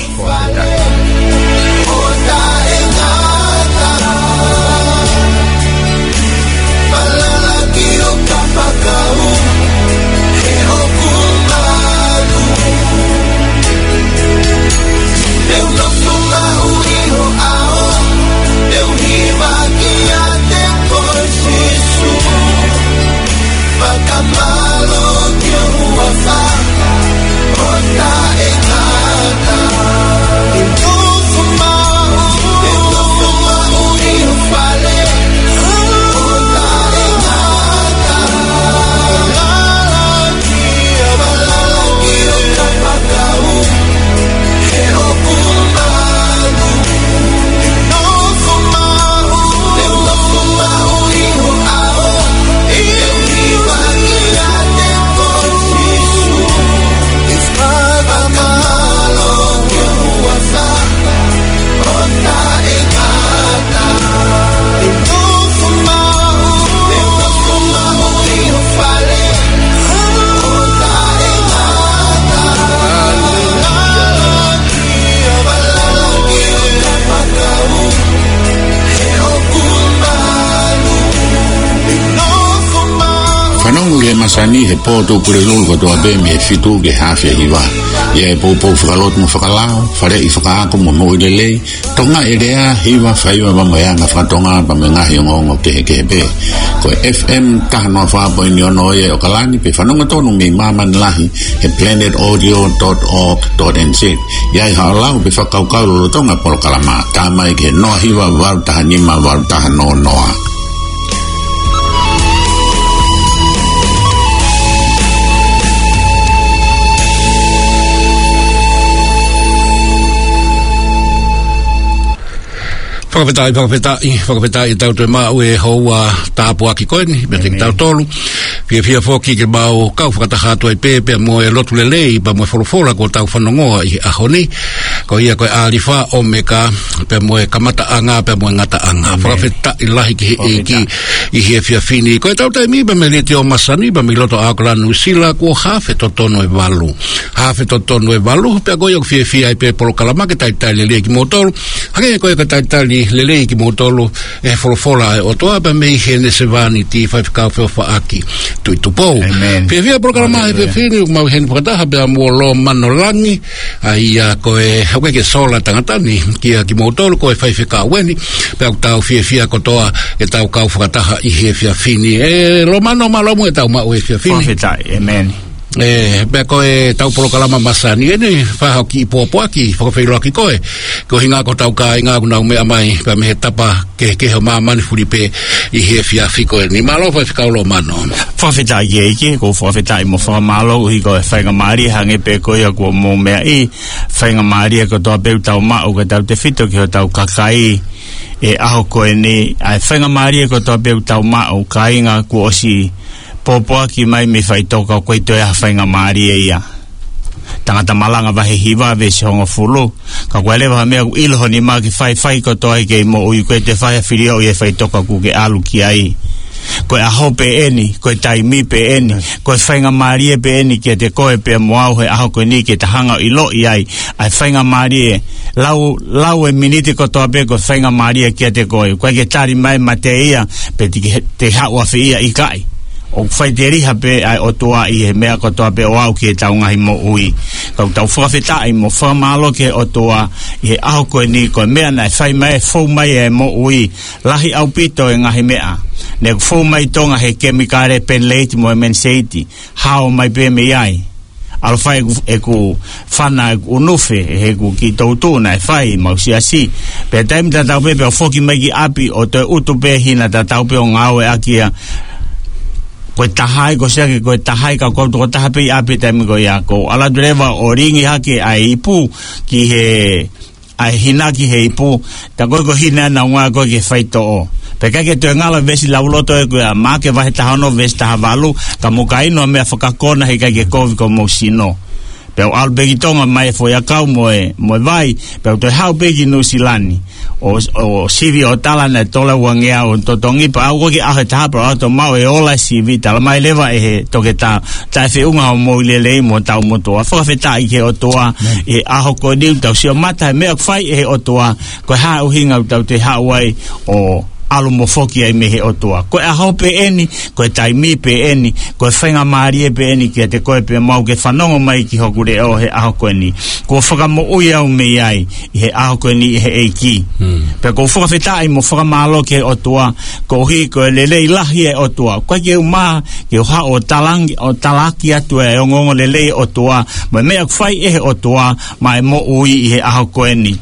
Fanongo ki he masani he pō Tuʻapulelulu kotoa pē mei he fitu ki he afe hiva. ʻIa e poupou fakalotu mo fakalao, faleʻi fakaako mo moʻui lelei, tokangaʻi e lea, hiva, faiva, pea mo e anga fakatonga, pea mo e ngaahi ongoongo kehekehe pē. Ko e F M taha noa fā poini ono ʻo e ʻOkalani, pea fanongo tonu mei māmani lahi he planet audio dot org dot N Z. ʻI ai haʻo lau pe fakakaukau lolotonga polokalama, tā mai ki he noa hiva valu taha nima valu taha noa noa. Fakafetaʻi, fakafetaʻi, fakafetaʻi ʻetau toe maʻu e houa tāpuaki ko eni meiate kitautolu. Fiefia foki ke mau kau fakataha atu ai pē pea mo e lotu lelei pea mo e folofola kuo tau fanongoa ʻi he ʻaho ni. Ko ia ko e ʻAlifa ʻOmeka, pea mo e kamataʻanga pea mo e ngataʻanga. Fakafetaʻi lahi ki he ʻEiki ʻi he efiafi ni. Ko ʻetau taimi pea mei he Letiō Masani pea mei loto ʻAokalani, Nuʻusila, kuo hafe totonu e valu. Hafe totonu e valu, pea ko ia ʻoku fiefia ai pē polokalama ke talitali lelei kimoutolu. Hangē ko ia ko e talitali lelei kimoutolu ʻe he folofola ʻa e ʻOtua pea mei heʻene sevāniti Faifekau Feʻofaʻaki Tuʻitupou. Fiefia polokalama he efiafi ni ʻoku mau ʻi heni fakataha pea mo Lomano Langi, ʻa ia ko e, ʻoku ʻikai ke sola tangata ni kia kimoutolu, ko e faifekau eni, pea ʻoku tau fiefia kotoa ke tau kau fakataha ʻi he efiafi ni. ʻE Lomano, mālō muʻa ʻetau maʻu he efiafi ni. Fakafetaʻi, ʻēmeni. ʻE, pea ko ʻetau polokalama masani eni, fai haʻo kiʻi pōpoaki, fakafeʻiloaki koe, ko e ʻuhinga ko hotau kāinga ʻoku nau meʻa mai pea mei he tapa kehekehe ʻo māmani fulipē ʻi he efiafi ko eni. Mālō Faifekau Lomano. Fakafetaʻi ki he ʻEiki, ʻoku ou fakafetaʻi mo fakamālō koeʻuhi ko e faingamālie hangē pē ko ia kuo mou meaʻi, faingamālie kotoa pē ʻoku tau maʻu kae tautefito ki hotau kakai he ʻaho ko eni, ʻa e faingamālie kotoa pē ʻoku tau maʻu, kāinga, kuo ʻosi pōpoaki mai mei faʻitoka, ʻoku ʻikai toe ʻi ai ha faingamālie ia. Tangata Malanga vahe hiva veesi hongofulu. Kapau ʻoku ʻi ai leva ha meʻa ʻoku ʻilo ho nima ke fai, fai kotoa ʻi he kei moʻui, ʻoku ʻikai toe fai ha filioʻi ʻi he faʻitoka ʻoku ke ʻalu ki ai. Ko e ʻaho pē eni, ko e taimi pē eni, ko e faingamālie pē eni kiate koe pea mo au he ʻaho ko eni ke ta hanga ʻo ʻiloʻi ai ʻa e faingamālie. Lau, lau e miniti kotoa pē ko e faingamālie kiate koe. ʻOku ʻikai ke tali mai mate ia, pe te ke, te haʻu ʻafē ia, ʻikai. ʻOku faʻiteliha pē ʻa e ʻOtua ʻi he meʻa kotoa pē ʻo aʻu ki heʻetau ngaahi moʻui. Ka ʻoku tau fakafetaʻi mo fakamālō ki he ʻOtua ʻi he ʻaho ko eni, ko e meʻa naʻe fai mai, fou mai e moʻui, lahi ʻaupito e ngaahi meʻa. Naʻe fou mai Tonga he kemikale, penileiti mo e meniseiti. Hao mai pē mei ai. ʻAlu ʻo fai ʻeku, ʻeku fana, ʻeku ʻunufe, heʻeku kiʻi toutuʻu naʻe fai, mau siasi. Pea taimi tatau pē, pea foki mai ki ʻapi ʻo toe ʻutu pē hina tatau pē ʻo ngāueʻaki ia. Ko e taha ai, ko Siake, ko e taha ai, ka ko au tokotaha pē ʻi ʻapi taimi ko ia. Ko u ʻalu atu leva ʻo lingi hake ʻa e ipu ki he, ʻa e hina ki he ipu, tā ko ē ko e hina naʻa nau ngāue ko ē ki he faitoʻo. Pea ʻikai ke toe ngalo veesi lauloto ē ko ia, Maʻake vahe taha ono veesi taha valu, ka mou ka inu ʻa e meʻa fakakona he ʻikai ke kovi ki homou sino. Pea u ʻalu pē ki Tonga mai e foʻiʻakau mo e, mo e vai, pea u toe haʻu pē ki Nuʻusila ni. ʻO, ʻo sivi ʻo tala naʻe tolongeau ʻo totongi, pea aʻu ko ē ki he ʻaho ʻe taha pea u ʻalu atu ʻo maʻu e ola e sivi, tala mai leva ʻe he toketā, taʻefeʻunga hoʻo moʻui lelei mo hotau motuʻa. Fakafetaʻi ki he ʻOtua ʻi he ʻaho ko eni ʻoku tau sio mata he meʻa ʻoku fai ʻe he ʻOtua, ko e hā e ʻuhinga ʻoku tau toe haʻu ai ʻo ʻalu mo foki ai mei he ʻOtua. Ko e ʻaho pē eni, ko e taimi pē eni, ko e faingamālie pē eni kiate koe pea mo au ke fanongo mai ki hoku leʻo he ʻaho ko eni. Kuo fakamoʻui au mei ai ʻi he ʻaho ko eni ʻe he ʻEiki. Pea ʻoku ou fakafetaʻi mo fakamālō ki he ʻOtua, koeʻuhi ko e lelei lahi e ʻOtua. ʻOku ʻikai ke u mā ke u haʻu ʻo talangi, ʻo talaki atu e ongoongolelei e ʻOtua, mo e meʻa ʻoku fai ʻe he ʻOtua maʻa e moʻui ʻi he ʻaho ko eni.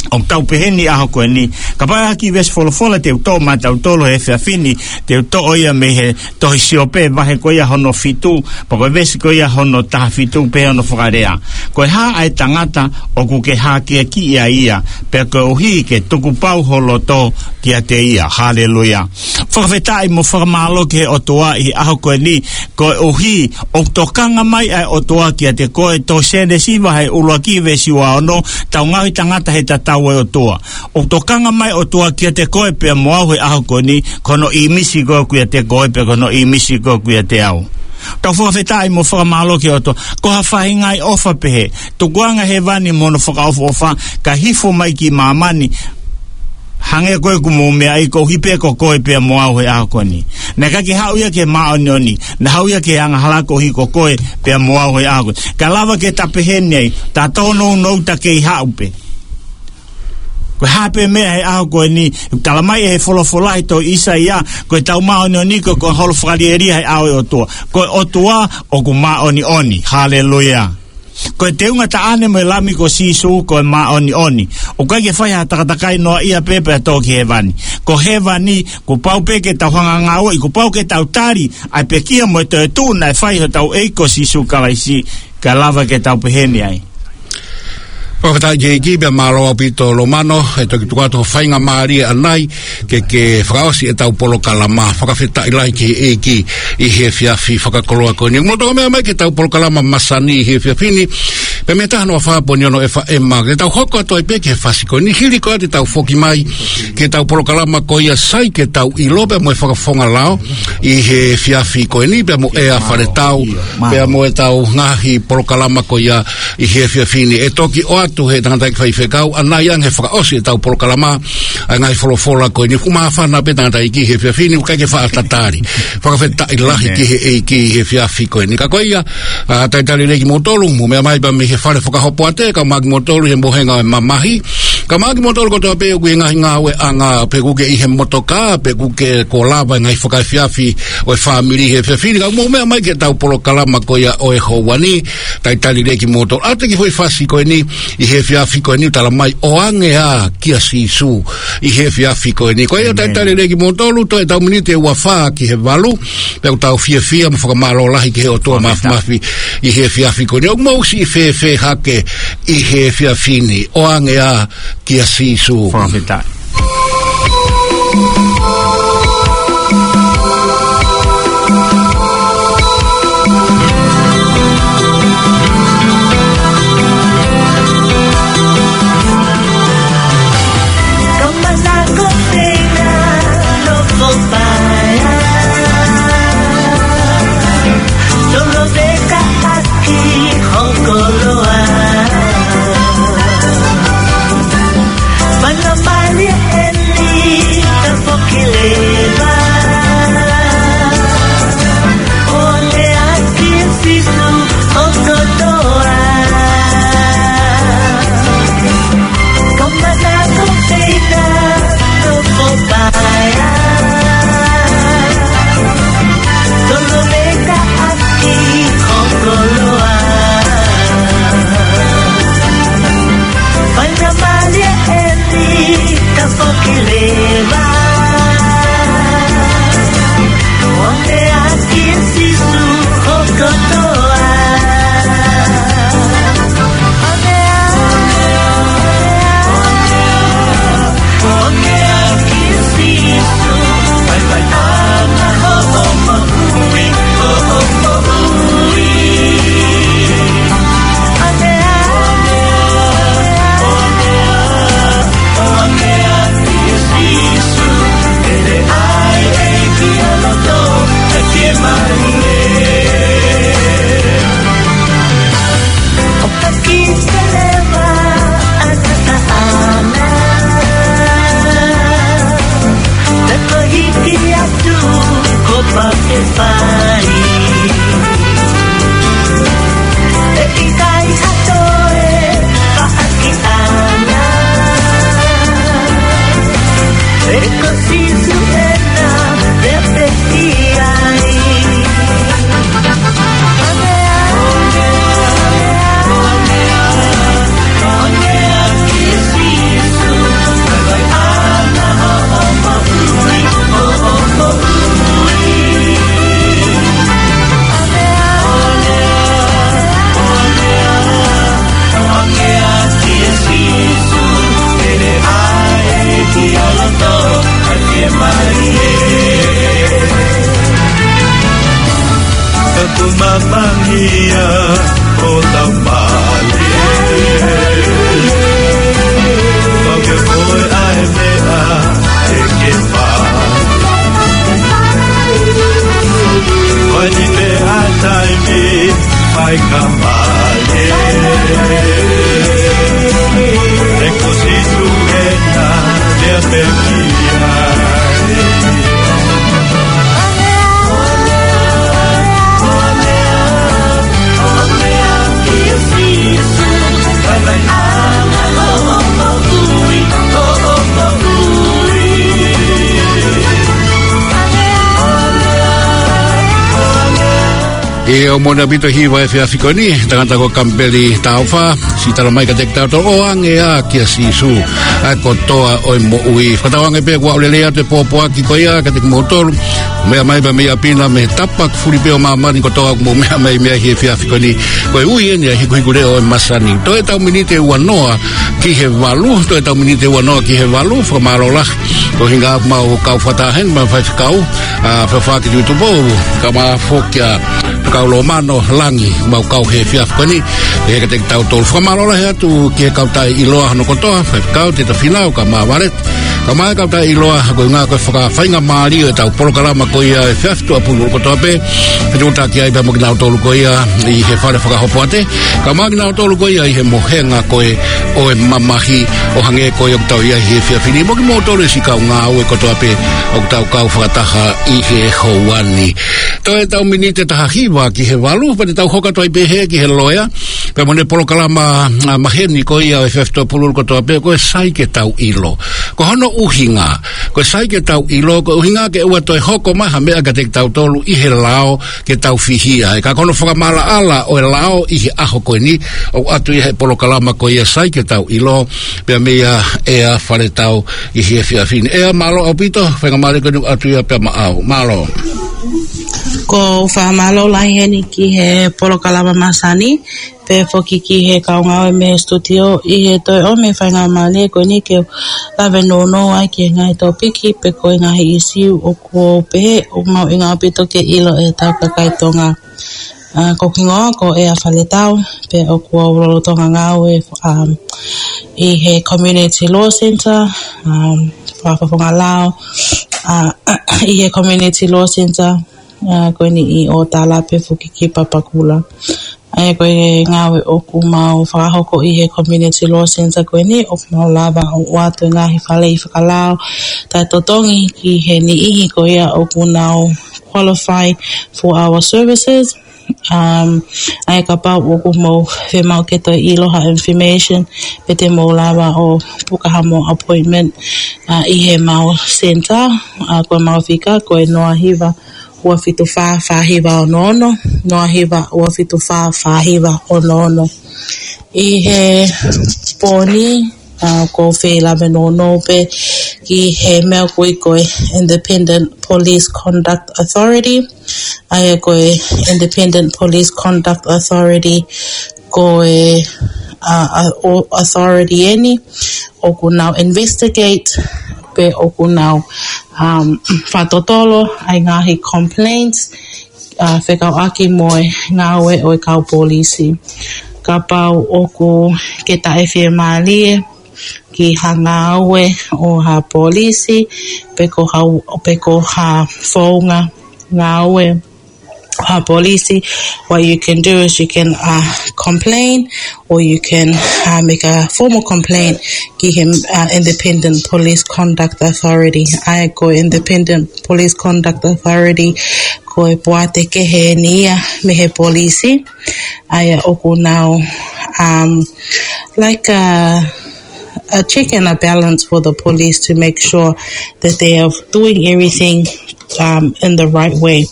ʻOku tau pehē ni ʻaho ko eni, kapau ʻe ʻi ai ha kiʻi veesi folofola te u toʻo maʻatautolu he efiafi ni, te u toʻo ia mei he tohi Siope vahe ko ia hono fitu, pea ko e veesi ko ia hono taha fitu pē hono fakalea. Ko e hā ʻa e tangata ʻoku ke hākeakiʻi ai ia, pea koeʻuhi ke tukupau ho loto kiate ia. Haleluia. Fakafetaʻi mo fakamālō ki he ʻOtua ʻi he ʻaho ko eni, koeʻuhi ʻoku tokanga mai ʻa e ʻOtua kiate koe, tohi Sēnesi vahe ʻuluaki veesi ua ono, tau ngaohi tangata he tatau ʻo e ʻOtua. ʻOku tokanga mai e ʻOtua kiate koe pea mo au he ʻaho ko eni, ko hono ʻīmisi koe ʻoku ʻiate koe pea ko hono ʻīmisi koe ʻoku ʻiate au. Tau fakafetaʻi mo fakamālō ki he ʻOtua. Ko ha faʻahinga ʻofa pehē. Tukuange hēvani mo hono fakaʻofoʻofa, kae hifo mai ki māmani. Hangē ko ē ʻoku mou meaʻi, koeʻuhi pē ko koe pea mo au he ʻaho ko eni. Naʻe ʻikai ke haʻu ia ki he māʻoniʻoni, naʻe haʻu ia ki he angahala koeʻuhi ko koe pea mo au he ʻaho ko eni. Ka lava ke ta pehē ni ai, ta tōnounou ta kei haʻu pē. Ko e hā pē meʻa he ʻaho ko eni, tala mai ʻe he folofola ʻi he tohi ʻIsaia, ko ʻetau māʻoniʻoni ko e holo fakalielia he ʻao ʻo e ʻOtua. Ko e ʻOtua ʻoku māʻoniʻoni. Haleluia. Ko e teunga taʻane mo e Lami ko Sīsū ko e māʻoniʻoni. ʻOku ʻikai ke fai ha takatakai noaʻia pē pea tō ki hēvani. Ko hēvani, kuo pau pē ke tau hanga ngāueʻi, kuo pau ke tau tali ʻa e pekia mo e toetuʻu naʻe fai ʻe hotau ʻEiki ko Sīsū Kalaisi, kae lava ke tau pehē ni ai. Fakafetaʻi ki he ʻEiki, pea mālō ʻaupito Lomano, ʻe toki tuku atu ho faingamālie ʻanai, ke ke fakaʻosi ʻetau polokalama. Fakafetaʻi lahi ki he ʻEiki ʻi he efiafi fakakoloa ko eni. Mou toki meʻa mai ki heʻetau polokalama masani ʻi he efiafi ni, pea mei he taha noa fā poini ono FM, ke tau hoko atu ai pē ki he fasi ko eni. Hili ko ia te tau foki mai ki heʻetau polokalama ko ia Sai ke Tau ʻIlo pea mo e Fakafofonga Lao ʻi he efiafi ko eni, pea mo ʻEa Faletau, pea mo ʻetau ngaahi polokalama ko ia ʻi he efiafi ni. ʻE toki ʻoatu ʻe he tangataʻeiki faifekau ʻanai ange he fakaʻosi ʻetau polokalama ʻa e ngaahi folofola ko eni. ʻOku māfana pē tangataʻeiki he efiafi ni, ʻoku ʻikai ke faʻa tatali. Fakafetaʻi lahi ki he ʻEiki he efiafi ko eni. Ka ko ia, ʻa, talitali lelei kimoutolu, mou meʻa mai pē mei he fale fakahopoate, kae ʻumaʻā kimoutolu he mohenga ʻo e mamahi. Kae ʻumaʻā kimoutolu kotoa pē ʻoku ʻi he ngaahi ngāue ʻanga, pe ʻoku ke ʻi he motoka, pe ʻoku ke kuo lava e ngaahi fakaefiafi ʻo e fāmili he efiafi ni. Ka mou meʻa mai ki heʻetau polokalama ko ia ʻo e houa ni, talitali lelei kimoutolu. ʻA e kiʻi foʻi fasi ko eni, ʻi he efiafi ko eni ʻoku tala mai, ʻOange ā kia Sīsū, ʻi he efiafi ko eni. Ko ia talitali lelei kimoutolu, toe ʻetau miniti ʻe ua fā ki he valu, pea ʻoku tau fiefia mo fakamālō lahi ki he ʻOtua Māfimafi ʻi he efiafi ko eni. ʻOku mou siʻi fēfē hake ʻi he efiafi ni, ʻOange ā kia Sīsū. Fakafetaʻi. Kamana ko Pena, Loko Paea. Tolo veka ʻaki ho koloa. Mana mali eni ka foki leva. ʻOange ā kia Sīsū ho kotoa. Kamana ko Pena, Loko Paea. Tolo veka ʻaki ho koloa. Mana mali eni ka foki leva. ʻOange ā kia Sīsū ho kotoa. ʻOka ki te leva ʻa e tataʻana. Te ko hiki atu ko Papefai. ʻE ʻikai ha toe paʻaki ʻana. ʻE ko Sīsū ena, te pehē ai. Ka ku mamangia o tau mali. Pau ke koe ʻa e meʻa ʻe ke fai. Ko eni pē ʻa e taimi fai ka mali. ʻE ko Sīsū ena, te pehē ai. ʻIo, moʻoni ʻaupito e hiva he efiafi ko eni, tangata ko Kamipeli Taufa, siʻi tala mai kiate kitautolu ʻoange ā kia Sīsū ʻa e kotoa ʻo e moʻui. Fakatauange pē kuo lelei atu e pōpoaki ko ia kiate kimoutolu. Meʻa mai pē mei ʻapi na mei he tapa fuli pē ʻo māmani kotoa ʻoku mou meʻa mai mei ai he efiafi ko eni. Ko e ui eni ʻa e hikuhikuleʻo ʻo e masani. Toe ʻetau miniti ʻe uanoa ki he valu, toe ʻetau miniti ʻe uanoa ki he valu, fakamālō lahi. Ko e ʻuhinga ʻoku mau kau fakataha heni mo e faifekau, ʻa, Fafaki Tuʻitupou, kae ʻumaʻā foki ʻa Faifekau Lomano Langi, mau kau he efiafi ko eni, ʻe he kiate kitautolu. Fakamālō lahi atu ki he kau taʻeʻiloa hono kotoa, Faifekau Teta Finau, kae ʻumaʻā Valeti, kae ʻumaʻā e kau taʻeʻiloa, ko e ʻuhinga ko e fakafaingamālie ʻo ʻetau polokalama ko ia ʻa e efiafi tuʻapululu kotoa pē, fetuʻutaki ai pea mo kinautolu ko ia ʻi he fale fakahopoate, kae ʻumaʻā kinautolu ko ia ʻi he mohenga ko ē ʻo e mamahi ʻo hangē ko ia ʻoku tau ʻi ai he efiafi ni. Mo kimoutolu e siʻi kau ngāue kotoa pē ʻoku tau kau fakataha ʻi he houa ni. Toe ʻetau miniti ʻe taha hiva ki he valu, pea te tau hoko atu ai pē hē ki he loea, pea mo ʻene polokalama, ʻa, maheni ko ia ʻo e efiafi tuʻapululu kotoa pē, ko e Sai ke Tau ʻIlo. Ko hono ʻuhinga, ko e Sai ke Tau ʻIlo, ko e ʻuhinga ke ʻoua toe hoko mai ha meʻa kiate kitautolu ʻi he lao ke tau fihia. He ka ko hono fakamaʻalaʻala ʻo e lao ʻi he ʻaho ko eni, ʻoku ʻoatu ia he polokalama ko ia Sai ke Tau ʻIlo, pea meia ʻEa Faletau ʻi he efiafi ni. ʻEa, mālō ʻaupito, faingamālie ko eni ʻoku ʻoatu ia pea maʻau. Mālō. ʻOku ou fakamālō lahi heni ki he polokalama masani, pea foki ki he kau ngāue mei he studio ʻi he toe ʻomi e faingamālie ko eni ke lave nounou ai ki he ngaahi topiki pe ko e ngaahi ʻīsiu ʻoku ou pehē ʻoku mahuʻinga ʻaupito ke ʻilo ʻe hotau kakai Tonga. ʻA, ko hoku hingoa ko ʻEa Faletau, pea ʻoku ou lolotonga ngāue, um, ʻi he Community Law Centre, um, fakafofonga lao, ʻa, ʻi he Community Law Centre, ʻa, ko eni ʻi ʻŌtala pea foki ki Papakura. ʻA ia ko e ngāue ʻoku mau fakahoko ʻi he Community Law Centre ko eni, ʻoku mau lava ʻo ʻoatu e ngaahi faleʻi fakalao taʻetotongi ki he niʻihi ko ia ʻoku nau qualify for our services. Um, ʻa ia kapau ʻoku mou fiemaʻu ke toe ʻilo ha information, pea te mou lava ʻo puka hamou appointment, ʻa, ʻi heʻemau centre, ʻa, ko ʻemau fika ko e noa hiva ua fitu fā fā hiva ono ono, noa hiva ua fitu fā fā hiva ono ono. ʻI he pō ni, ʻa, ʻoku ou fie lave nounou pē ki he meʻa ʻoku ui ko e Independent Police Conduct Authority. ʻA ia ko e Independent Police Conduct Authority, ko e, ʻa, ʻa, ʻo-, authority eni ʻoku nau investigate, pe ʻoku nau, um, fakatotolo ʻa e ngaahi complaints, ʻa, fekauʻaki mo e ngāue ʻo e kau polisi. Kapau ʻoku ke taʻefiemālie ki ha ngāue ʻo ha polisi, pe ko ha, pe ko ha founga ngāue ʻo ha polisi, what you can do is you can, uh, complain, or you can, uh, make a formal complaint ki he, uh, Independent Police Conduct Authority. ʻA ia ko e Independent Police Conduct Authority, ko e poate kehe eni ia mei he polisi. ʻA ia ʻoku nau, um, like a, a check and a balance for the police to make sure that they are doing everything, um, in the right way.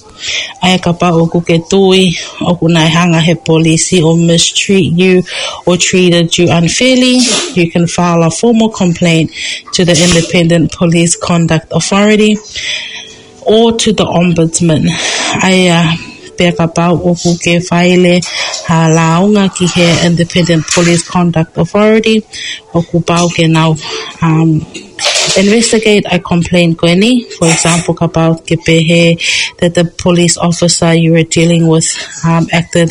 ʻA ia kapau ʻoku ke tui ʻoku nau hanga he polisi ʻo mistreat you or treated you unfairly, you can file a formal complaint to the Independent Police Conduct Authority or to the Ombudsman. ʻA ia pea kapau ʻoku ke faile ha lāunga ki he Independent Police Conduct Authority, ʻoku pau ke nau, um, investigate ʻa e complaint ko eni. For example, kapau ke pehē that the police officer you were dealing with, um, acted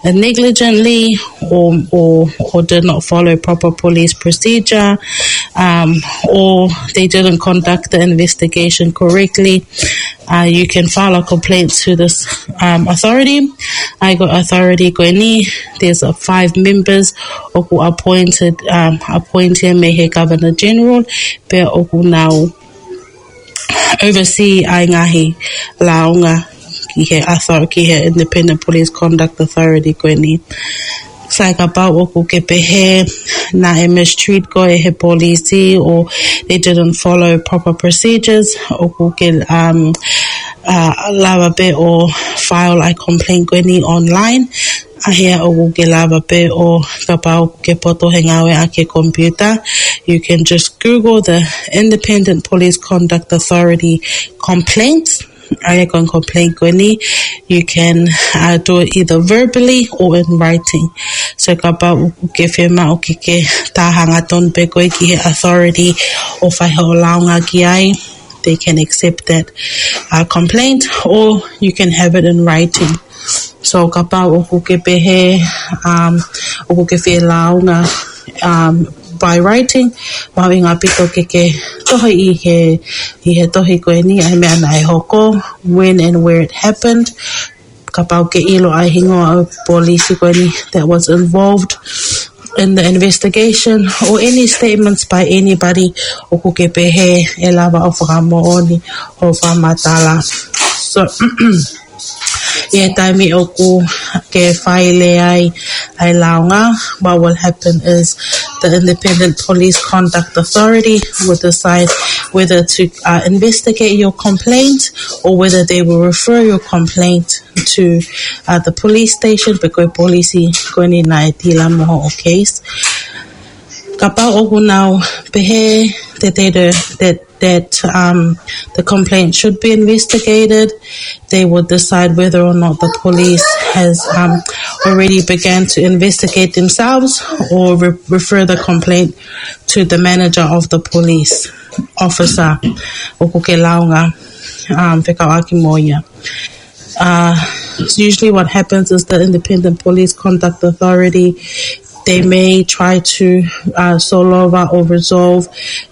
negligently or, or, or did not follow proper police procedure, um, or they didn't conduct the investigation correctly, uh, you can file a complaint to this, um, authority. ʻA ia ko e authority ko eni, there's, uh, five members ʻoku appointed, um, appointed mei he Governor General, pea ʻoku nau oversee ʻa e ngaahi lāunga ki he author-, ki he Independent Police Conduct Authority ko eni. Sai, kapau ʻoku ke pehē naʻe mistreat koe ʻe he polisi or they didn't follow proper procedures, ʻoku ke, um, uh, lava pē ʻo file ʻa e complaint ko eni online. ʻA ia ʻoku ke lava pē ʻo kapau ʻoku ke poto he ngāue ʻaki e computer, you can just Google the Independent Police Conduct Authority complaints. ʻA ia ko e complaint ko eni, you can uh, do it either verbally or in writing. So kapau ʻoku ke fiemaʻu ke ke tā hangatonu pē koe ki he authority ʻo fai hoʻo lāunga ki ai, they can accept that uh, complaint, or you can have it in writing. So kapau ʻoku ke pehē, um, ʻoku ke fie lāunga um, by writing, mahuʻinga ʻaupito ke ke tohi ʻi he, ʻi he tohi ko eni ʻa e meʻa naʻe hoko, when and where it happened. Kapau ʻoku ke ʻilo ʻa e hingoa ʻo e polisi ko eni that was involved in the investigation, or any statements by anybody ʻoku ke pehē ʻe lava ʻo fakamoʻoni hoʻo fakamatala. So, ʻi he taimi ʻoku ke file ai ʻa e lāunga, what will happen is the Independent Police Conduct Authority will decide whether to uh, investigate your complaint or whether they will refer your complaint to uh, the police station pe ko e polisi ko eni naʻe tila mo hoʻo case. Kapau ʻoku nau pehē that they do, that that um, the complaint should be investigated. They will decide whether or not the police has um, already began to investigate themselves or re- refer the complaint to the manager of the police officer ʻoku ke lāunga um, fekauʻaki mo ia. Uh, so usually what happens is the Independent Police Conduct Authority, they may try to uh, solve or resolve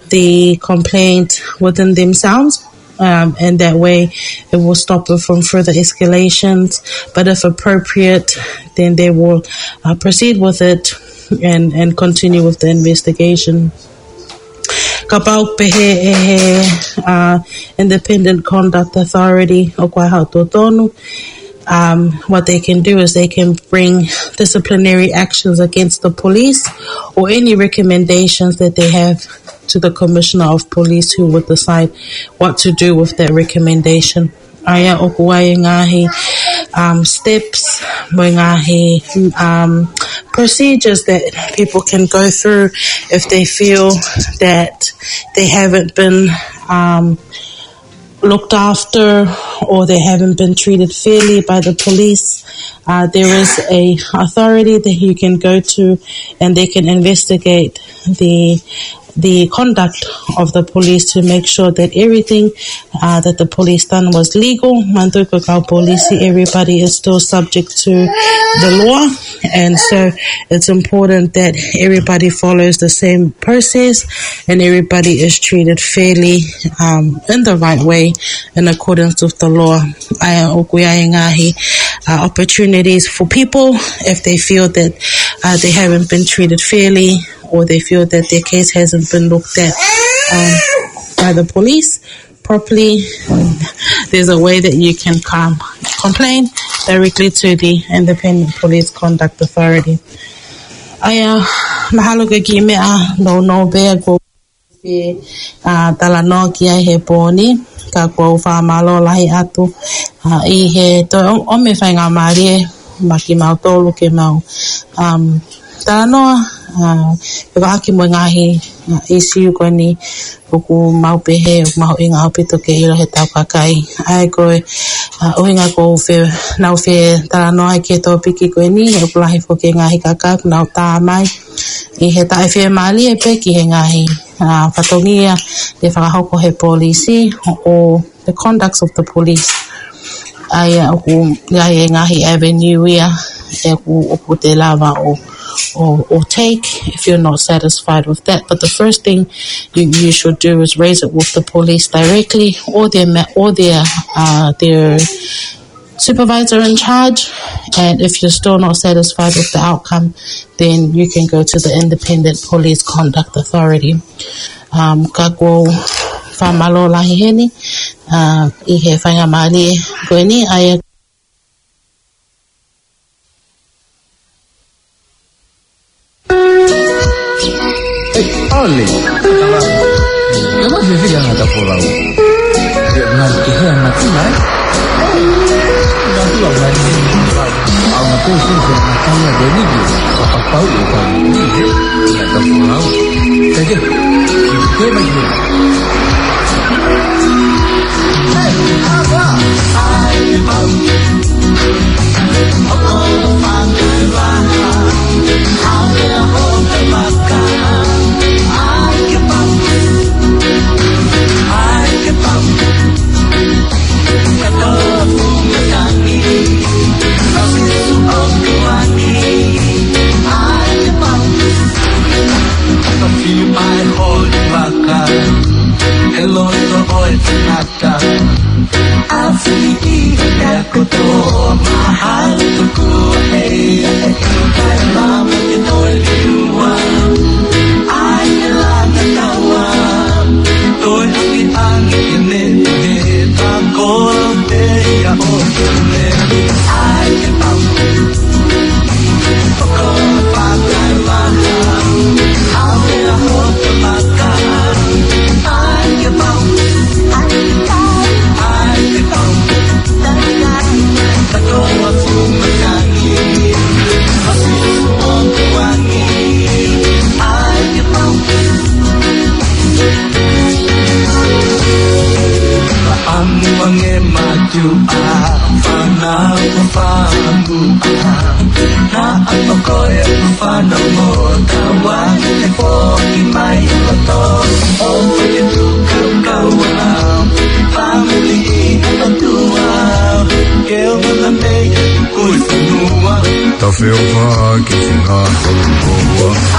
the complaint within themselves. Um, and that way it will stop it from further escalations. But if appropriate, then they will uh, proceed with it and, and continue with the investigation. Kapau pehē ʻe he uh, Independent Conduct Authority ʻoku ʻi ai haʻo totonu, um, what they can do is they can bring disciplinary actions against the police or any recommendations that they have to the Commissioner of Police, who would decide what to do with that recommendation. ʻA ia ʻoku ʻi ai e ngaahi um, steps mo e ngaahi um, procedures that people can go through if they feel that they haven't been um, looked after or they haven't been treated fairly by the police. Uh, there is a authority that you can go to and they can investigate the the conduct of the police to make sure that everything uh, that the police done was legal. Manatuʻi ko e kau polisi, everybody is still subject to the law, and so it's important that everybody follows the same process and everybody is treated fairly um, in the right way in accordance with the law. ʻA ia ʻoku ʻi ai e ngaahi uh, opportunities for people if they feel that uh, they haven't been treated fairly or they feel that their case hasn't been looked at um, by the police properly, there's a way that you can come complain directly to the Independent Police Conduct Authority. ʻA ia, mahalo ko e kiʻi meʻa nounou pē ʻoku ou fie uh, talanoa ki ai he pō ni, ka ʻoku ou fakamālō lahi atu uh, ʻi he toe ʻo, ʻomi e faingamālie maʻa kimautolu ke mau um, talanoa uh, ʻo vahevahe mo e ngaahi uh, issue ko eni ʻoku mau pehē ʻoku mahuʻinga ʻaupito ke ʻilo ʻe he tau kakai. ʻA ia ko e uh, ʻuhinga ʻoku ou fie, nau fie talanoa ai ki he tōpiki ko eni, ʻoku lahi foki e ngaahi kakai ʻoku nau tā mai ʻi he taʻefiemālie pē ki he ngaahi uh, fatongia ʻe fakahoko ʻe he polisi or the conducts of the police. ʻA ia ʻoku ʻi ai e ngaahi avenue ia ʻoku, ʻoku te lava ʻo, ʻo, ʻo take if you're not satisfied with that. But the first thing you, you should do is raise it with the police directly or their ma- or their uh, their supervisor in charge. And if you're still not satisfied with the outcome, then you can go to the Independent Police Conduct Authority. Um, ka ʻoku ou fakamālō lahi heni uh, ʻi he faingamālie ko eni. ʻA ia Hey, ʻalu. Ia ma fefili ʻa e ngata folau. Ia ngata ki he ngata mai. Ngata lau. Au, au, au. Ia, ia, ka pulau. Thank you. Thank you. Tafeo fa ki singa kokoa.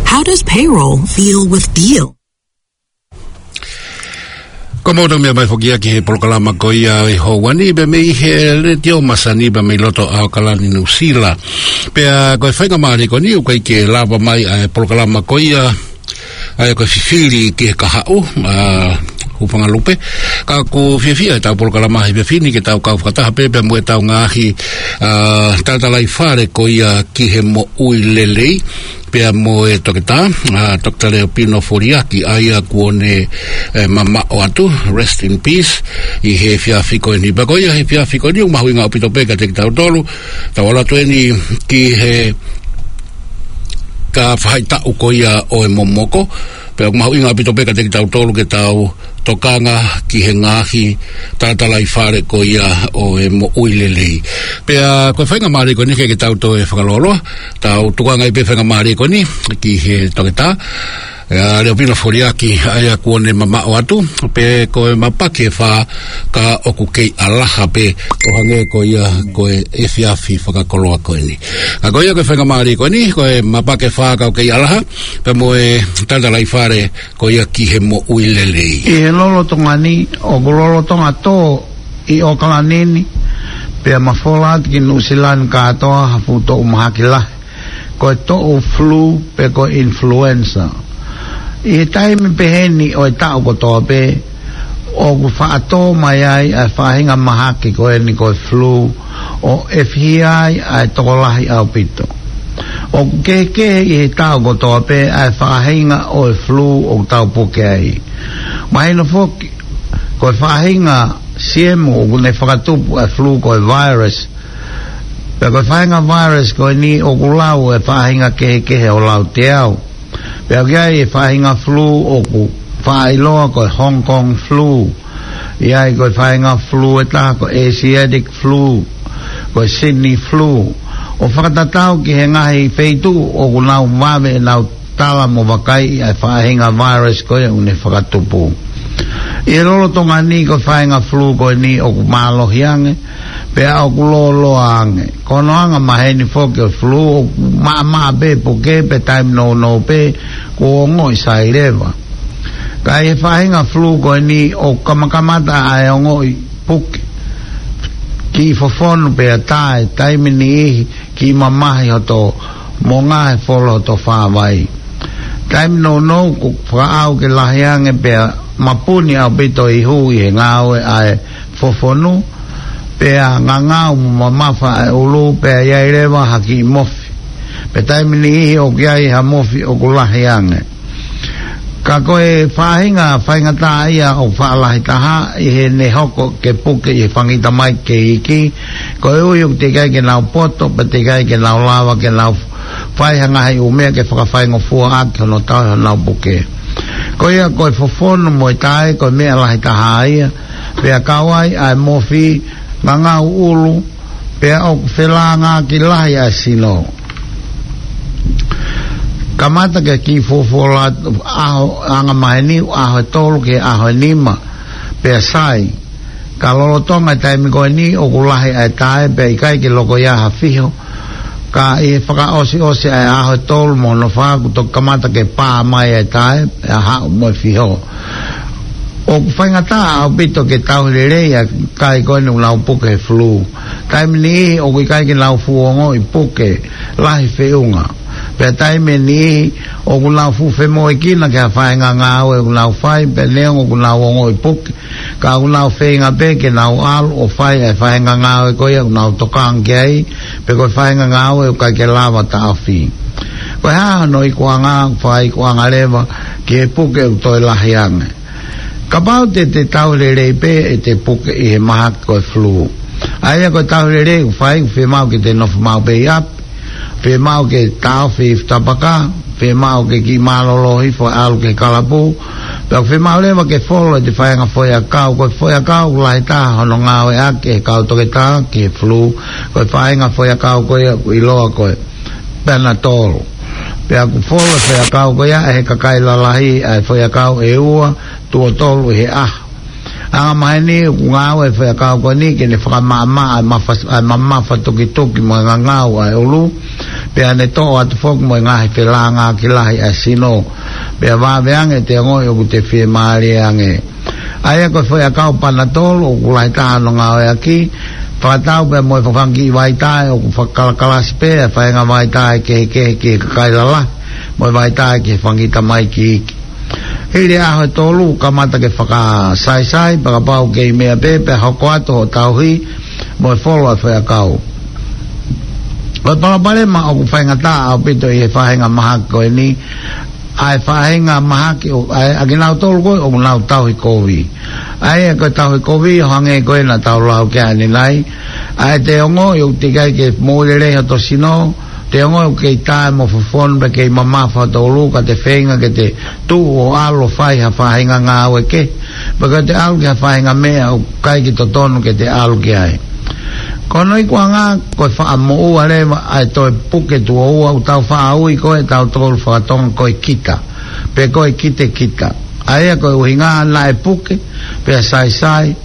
How does payroll deal with deal? Ko moto mea mai foki ia ki he polokalama ko ia ʻi he houa ni, pea mei he Letiō Masani, pea mei loto ʻAokalani, Nuʻusila. Pea ko e faingamālie ko eni ʻoku ʻikai ke lava mai ʻa e polokalama ko ia, ʻa e ko e fifili ki he kahaʻu, ʻa, Hūfangalupe. Ka ʻoku fiefia ʻetau polokalama he efiafi ni ke tau kau fakataha pē, pea mo ʻetau ngaahi, ʻa, talatalaifale ko ia ki he moʻui lelei. Pea mo e toketā, ʻa, Toketā Leopino Foliaki, ʻa ia kuo ne, ʻe, mamaʻo atu, rest in peace, ʻi he efiafi ko eni. Pea ko ia he efiafi ko eni, ʻoku mahuʻinga ʻaupito pē kiate kitautolu, tau ʻalu atu eni ki he ka fahaʻitaʻu ko ia ʻo e momoko, pea ʻoku mahuʻinga ʻaupito pē kiate kitautolu ke tau tokanga ki he ngaahi talatalaifale ko ia ʻo e moʻui lelei. Pea ko e faingamālie ko eni ke, ke tau toe fakalōloa, tau tukuange pē faingamālie ko eni ki he toketā, ʻa, Leopino Foliaki, ʻa ia kuo ne mamaʻo atu, pea ko e mapaki ʻe fā ka ʻoku kei ʻalaha pē ʻo hangē ko ia ko e efiafi fakakoloa ko eni. Ka ko ia ko e faingamālie ko eni, ko e mapaki ʻe fā ka ʻoku kei ʻalaha, pea mo e talatalaifale ko ia ki he moʻui lelei. ʻI he lolotonga ni, ʻoku lolotonga tō ʻi ʻAokalani ni, pea mafola atu ki Nuʻusila ni kātoa ha fuʻu toʻu mahaki lahi. Ko e toʻu flu pe ko e influenza. ʻI he taimi peheni ʻo e taʻu kotoa pē, ʻoku faʻa tō mai ai ʻa e faʻahinga mahaki ko eni ko e flu, ʻo ʻefihia ai ʻa e tokolahi ʻaupito. ʻOku kehekehe ʻi he taʻu kotoa pē ʻa e faʻahinga ʻo e flu ʻoku tau puke ai. Mahino foki, ko e faʻahinga siemu ʻoku ne fakatupu ʻa e flu ko e virus. Pea ko e faʻahinga virus ko eni ʻoku lau ʻe faʻahinga kehekehe ʻo lauteau. Pea ʻoku ʻi ai e faʻahinga flu ʻoku faʻa ʻiloa ko e Hong Kong flu. ʻI ai ko e faʻahinga flu ʻe taha ko e Asiatic flu, ko e Sydney flu. ʻO fakatatau ki he ngaahi feituʻu ʻoku nau vave ʻenau tala mo vakai ʻa e faʻahinga virus ko ia ʻoku ne fakatupu. ʻI he lolotonga ni ko e faʻahinga flu ko eni ʻoku mālohi ange, pea ʻoku lōloa ange. Ko hono angamaheni foki ʻo e flu ʻoku maʻamaʻa pē puke pea taimi nounou pē kuo ongoʻi sai leva. Ka ʻi he faʻahinga flu ko eni ʻoku kamakamata ʻa e ongoʻi puke, kiʻi fofonu pea tae, taimi niʻihi kiʻi mamahi hoto monga he folo hoto fāvai. Taimi nounou ʻoku fakaʻau ke lahi ange pea mapuni ʻaupito e ihu ʻi he ngāue ʻa e fofonu, pea ngangau mo mamafa ʻa e ʻulu, pea ʻi ai leva ha kiʻi mofi. Pea taimi niʻihi ʻoku ʻi ai ha mofi ʻoku lahi ange. Ka ko e faʻahinga faingataʻaʻia ʻoku faʻa lahi taha ʻi heʻene hoko ke puke ʻi he fanga kiʻi tamaiki kei iiki, koeʻuhi ʻoku teʻeki ai ke nau poto, pea teʻeki ai ke nau lava ke nau fai ha ngaahi ʻū meʻa ke fakafaingofua ʻaki hono tauhi honau puke. Ko ia ko e fofonu mo e tae ko e meʻa lahi taha ia, pea kau ai ʻa e mofi, ngangau ʻulu, pea ʻoku felāngaaki lahi ʻa e sino. Kamata ke kiʻi fuofuoloa atu ʻaho angamaheni, ʻaho ʻe tolu ki he ʻaho ʻe nima, pea sai. Ka lolotonga e taimi ko eni ʻoku lahi ʻa e tae pea ʻikai ke loko ia ha fiho. Ka ʻi he fakaʻosiʻosi ʻa e ʻaho ʻe tolu mo hono fā kuo toki kamata ke pā mai ʻa e tae, pea haʻu mo e fiho. ʻOku faingataʻa ʻaupito ke tauhi lelei ʻa e kakai ko eni ʻoku nau puke he flu. Taimi niʻihi ʻoku ʻikai ke nau fuʻu ongoʻi puke lahi feʻunga. Pea taimi niʻihi ʻoku nau fuʻu femoʻuekina ki ha faʻahinga ngāue ʻoku nau fai, pea neongo ʻoku nau ongoʻi puke, ka ʻoku nau feinga pē ke nau ʻalu ʻo fai e faʻahinga ngāue ko ia ʻoku nau tokanga ki ai, pe ko e faʻahinga ngāue ʻoku ʻikai ke lava taʻofi. Ko e hā hono ikuʻanga? Fakaikuʻanga leva ki he puke ʻoku toe lahi ange. Kapau te te tauhi lelei pē ʻete puke ʻi he mahaki ko e flu. ʻA ia ko e tauhi lelei ʻoku fai, ʻoku fiemaʻu ke te nofo maʻu pē ʻi ʻapi, fiemaʻu ke taʻofi e ifi tapaka, fiemaʻu ke kiʻi mālōlō hifo ʻalu ki he kalapu, pea ʻoku fiemaʻu leva ke folo ʻete faʻahinga foʻiʻakau. Ko e foʻiʻakau ʻoku lahi taha hono ngāueʻaki ʻe he kau toketā ki he flu, ko e faʻahinga foʻiʻakau ko ia ʻoku ʻiloa ko e Panadol. Pea ʻoku folo e foʻiʻakau ko ia ʻe he kakai lalahi, ʻa e foʻiʻakau ʻe ua, tuʻo tolu ʻi he ʻaho. Angamaheni ʻoku ngāue e foʻiʻakau ko eni ke ne fakamaʻamaʻa ʻa e mafa, ʻa e mamafa tukituki mo e ngangau ʻa e ʻulu, pea ne toʻo atu foki mo e ngaahi felāngaaki lahi ʻa e sino, pea vave ange ʻete ongoʻi ʻoku te fiemālie ange. ʻA ia ko e foʻiʻakau Panadol ʻoku lahi taha hono ngāueʻaki, fakatau pea mo e fanga kiʻi vaitae ʻoku fakakalakalasi pē ʻa e faʻahinga vaitae kehekehe ki he kakai lalahi, mo e vaitae ki he fanga kiʻi tamaiki iiki. Hili e ʻaho ʻe tolu kamata ke fakasaisai, pea kapau ʻoku kei meʻa pē, pea hoko atu hoʻo tauhi mo e folo ʻa e foʻiʻakau. Ko e palopalema ʻoku faingataʻa ʻaupito ʻi he faʻahinga mahaki ko eni, ʻa e faʻahinga mahaki ʻo, ʻa e, ʻa kinautolu ko ē ʻoku nau tauhi kovi. ʻA ia ko e tauhi kovi ʻo hangē ko ē naʻa tau lau ki ai ʻanenai, ʻa ʻete ongoʻi ʻoku teʻeki ai ke moʻui lelei hoto sino, te ongoʻi ʻoku kei tae mo fofonu pea kei mamafa hoto ʻulu, ka te feinga ke te tuʻu ʻo ʻalu ʻo fai ha faʻahinga ngāue kehe, pe ko ʻete ʻalu ki ha faʻahinga meʻa ʻoku ʻikai ke totonu ke te ʻalu ki ai. Ko hono ikuʻanga, ko e faʻa moʻua leva ʻa e toe puke tuʻo ua, ʻoku tau faʻa ui ko ē ʻe tautolu faka-Tonga ko e kita, pe ko e kitekita. ʻA ia ko e ʻuhinga naʻe puke, pea saisai,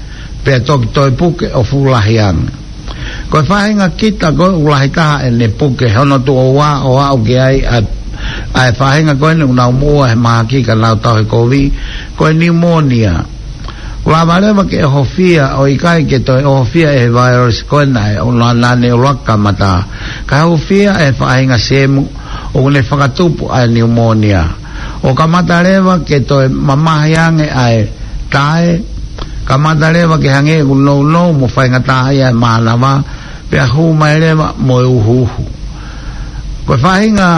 pea toki toe puke ʻo fuʻu lahi ange. Ko e faʻahinga kita ko ē ʻoku lahi taha ʻene puke hono tuʻo ua ʻo aʻu ki ai ʻa, ʻa e faʻahinga ko eni ʻoku nau moʻua he mahaki ka nau tauhi kovi, ko e pneumonia. ʻOku lava leva ke ʻohofia ʻo ʻikai ke toe ʻohofia ʻe he virus ko ena ʻe ʻuluaki, naʻa ne ʻuluaki kamata, kae ʻohofia ʻe he faʻahinga sēmu ʻoku ne fakatupu ʻa e pneumonia. ʻO kamata leva ke toe mamahi ange ʻa e tae, kamata leva ke hangē ʻoku nounou mo faingataʻaʻia e mānava, pea hū mai leva mo e uhuuhu. Ko e faʻahinga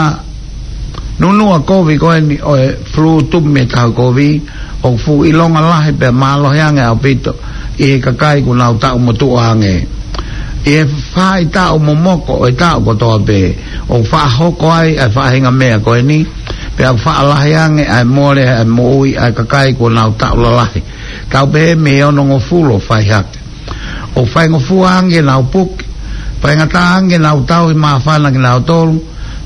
nunuʻa kovi ko eni ʻo e flu tupu mei he tauhi kovi, ʻoku fuʻu ʻilonga lahi pea mālohi ange ʻaupito ʻi he kakai ʻoku nau taʻu motuʻa ange. ʻI he faʻahitaʻu momoko ʻo e taʻu kotoa pē, ʻoku faʻa hoko ai ʻa e faʻahinga meʻa ko eni, Pea ʻoku faʻa lahi ange ʻa e mole ʻa e moʻui ʻa e kakai kuo nau taʻu lalahi. Tau pehē mei he onongofulu ʻo fai hake. ʻOku faingofua ange ke nau puke. Faingataʻa ange ke nau tauhi māfana kinautolu.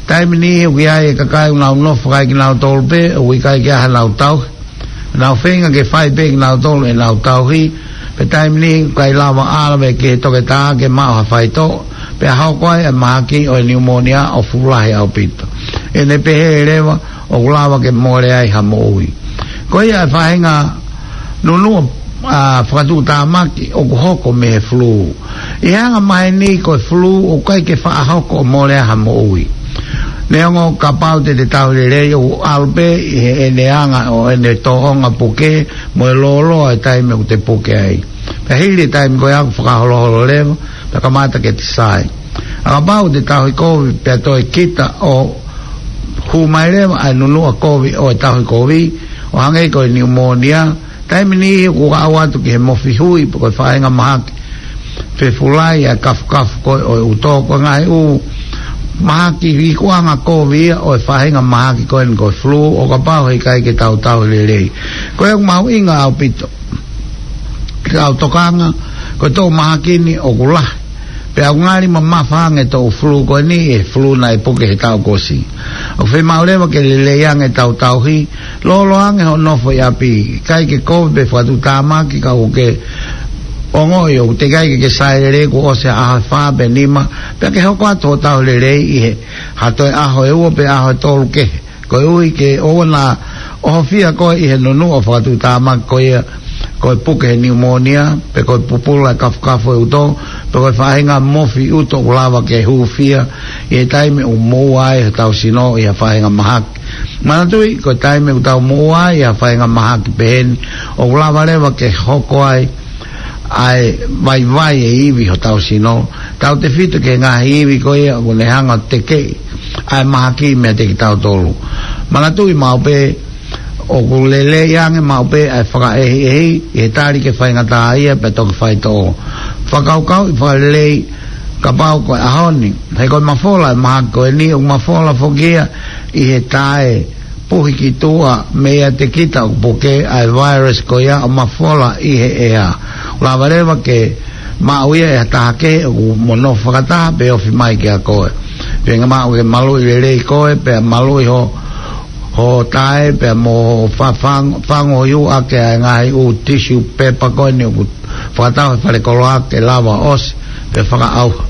Taimi niʻihi ʻoku ʻi ai e kakai ʻoku nau nofo fakaekinautolu pē, ʻoku ʻikai ke ʻi ai hanau tauhi. Nau feinga ke fai pē kinautolu ʻenau tauhi, pea taimi niʻihi ʻoku ʻikai lava ʻo ʻalu ki he toketā ke maʻu ha faitoʻo, pea hoko ai e mahaki ʻo e niumōnia ʻo fuʻu lahi ʻaupito. ʻEne pehē leva, ʻoku lava ke mole ai ha moʻui. Ko ia e faʻahinga nunuʻa, ʻa, fakatuʻutāmaki ʻoku hoko mei he fulū. ʻI he anga maheni ko e fulū ʻoku ʻikai ke faʻa hoko ʻo mole ai ha moʻui. Neongo kapau te te tauhi lelei ʻoku ʻalu pē ʻi heʻene anga ʻo ʻene tōʻonga puke mo e lōloa e taimi ʻoku te puke ai. Pea hili e taimi ko ia ʻoku fakaholoholo leva, pea kamata ke te sai. ʻA kapau te tauhi kovi pea toe kita ʻo hū mai leva ʻa e nunuʻa kovi ʻo e tauhi kovi, ʻo hangē ko e niumōnia, taimi niʻihi ʻoku aʻu atu ki he mofi hui pe ko e faʻahinga mahaki fefulai ʻa e kafukafu ko ē ʻo e ʻuto, ko e ngaahi ʻū mahaki ikuʻanga kovi ia ʻo e faʻahinga mahaki ko eni ko e fulū ʻo kapau he ʻikai ke tau tauhi lelei. Ko ia ʻoku mahuʻinga ʻaupito ke tau tokanga, ko e toʻu mahaki ni ʻoku lahi. Pea ʻoku ngali mamafa ange e toʻu fulū ko eni ʻi he fulū naʻe puke he taʻu kuo ʻosi. ʻOku fiemaʻu leva ke lelei ange ʻetau tauhi, lōloa ange hoʻo nofo ʻi ʻapi, ʻikai ke kovi pe fakatuʻutāmaki ka ʻoku ke ongoʻi ʻoku teʻeki ai ke ke sai lelei kuo ʻosi ha ʻaho ʻe fā pe nima, pea ke hoko atu hoʻo tauhi lelei ʻi he ha toe ʻaho ʻe ua pe ʻaho ʻe tolu kehe. Koeʻuhi ke ʻoua naʻa ʻohofia koe ʻi he nunuʻa fakatuʻutāmaki ko ia, ko e puke he niumōnia, pe ko e pupula e kafukafu e ʻuto, pe ko e faʻahinga mofi ʻuto ʻoku lava ke hūfia ʻi he taimi ʻoku moʻua ai hotau sino ʻi ha faʻahinga mahaki. Manatuʻi, ko e taimi ʻoku tau moʻua ai ʻi ha faʻahinga mahaki peheni, ʻoku lava leva ke hoko ai ʻa e vaivai e ivi hotau sino, tautefito ki he ngaahi ivi ko ia ʻoku ne hanga ʻo tekeʻi ʻa e mahaki meiate kitautolu. Manatuʻi maʻu pē, ʻoku lelei ange maʻu pē ʻa e fakaʻehiʻehi ʻi he tali ke faingataʻaʻia pea toki faitoʻo. Fakakaukauʻi fakalelei kapau ko e ʻaho ni, he ko e mafola e mahaki ko eni, ʻoku mafola foki ia ʻi he taʻe puhi ki tuʻa meiate kita ʻoku puke ʻa e virus ko ia ʻo mafola ʻi he ʻea. Lava leva ke maʻu ia ʻe ha taha kehe ʻoku mo nofo fakataha pe ofi mai kiate koe. Pea ʻe maʻu ke maluʻi lelei koe, pea maluʻi ho, ho taʻe, pea mo ho fafang-, fango ʻi ʻū ake ʻa e ngaahi ʻū tissue paper ko eni ʻoku fakatau he falekoloa ke lava ʻosi, pea fakaʻauha.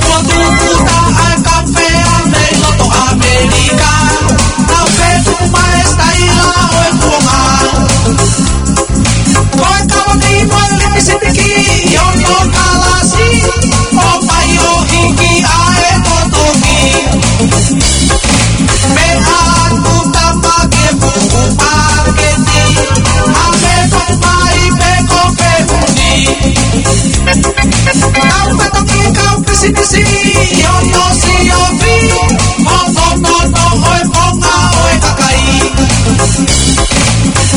Kuo tuku taha e kaufea mei loto ʻAmelika, nau fetuku mai e sitaila ʻo e kuonga. Ko e kava ni mo e lipisitiki ʻi hono kalasi, ʻomai ʻo hiki ʻa e totongi. Meʻa atu tama ke puku paketi, ʻa e toʻo mai pe ko e fehuʻi. Kau totongi, kau pisinisi ʻi hono siofi, hono nono ʻo e konga ʻo e kakai.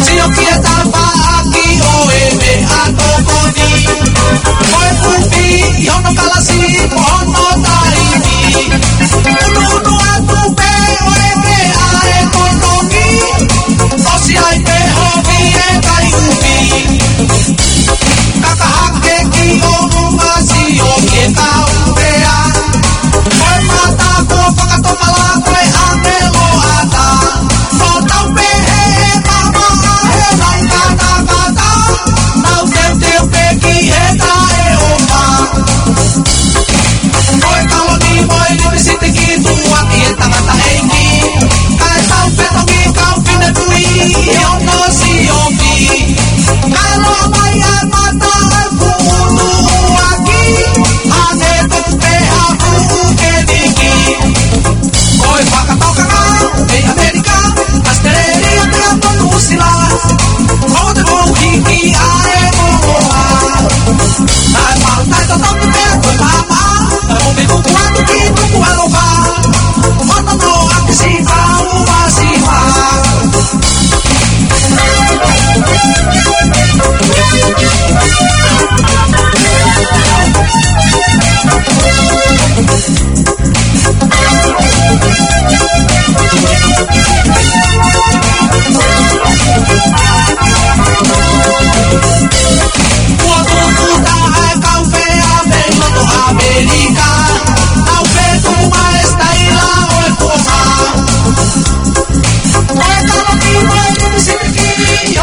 Sio ki he tafaʻaki ʻo e meʻatokoni. Ko e kupi ʻi hono kalasi mo hono taimi. Unuunu atu pē ʻo e meʻa ʻe totongi. ʻOsi ai pē hovi e kai upi. Kaka hake ki ʻolunga, sio ki he kaufea. Ko e mata kuo fakatomala ko e ʻāngelo ʻatā. Nau tau pehē ʻe mamaʻo he nau katakata, nau teuteu pē ki he taʻeʻofa.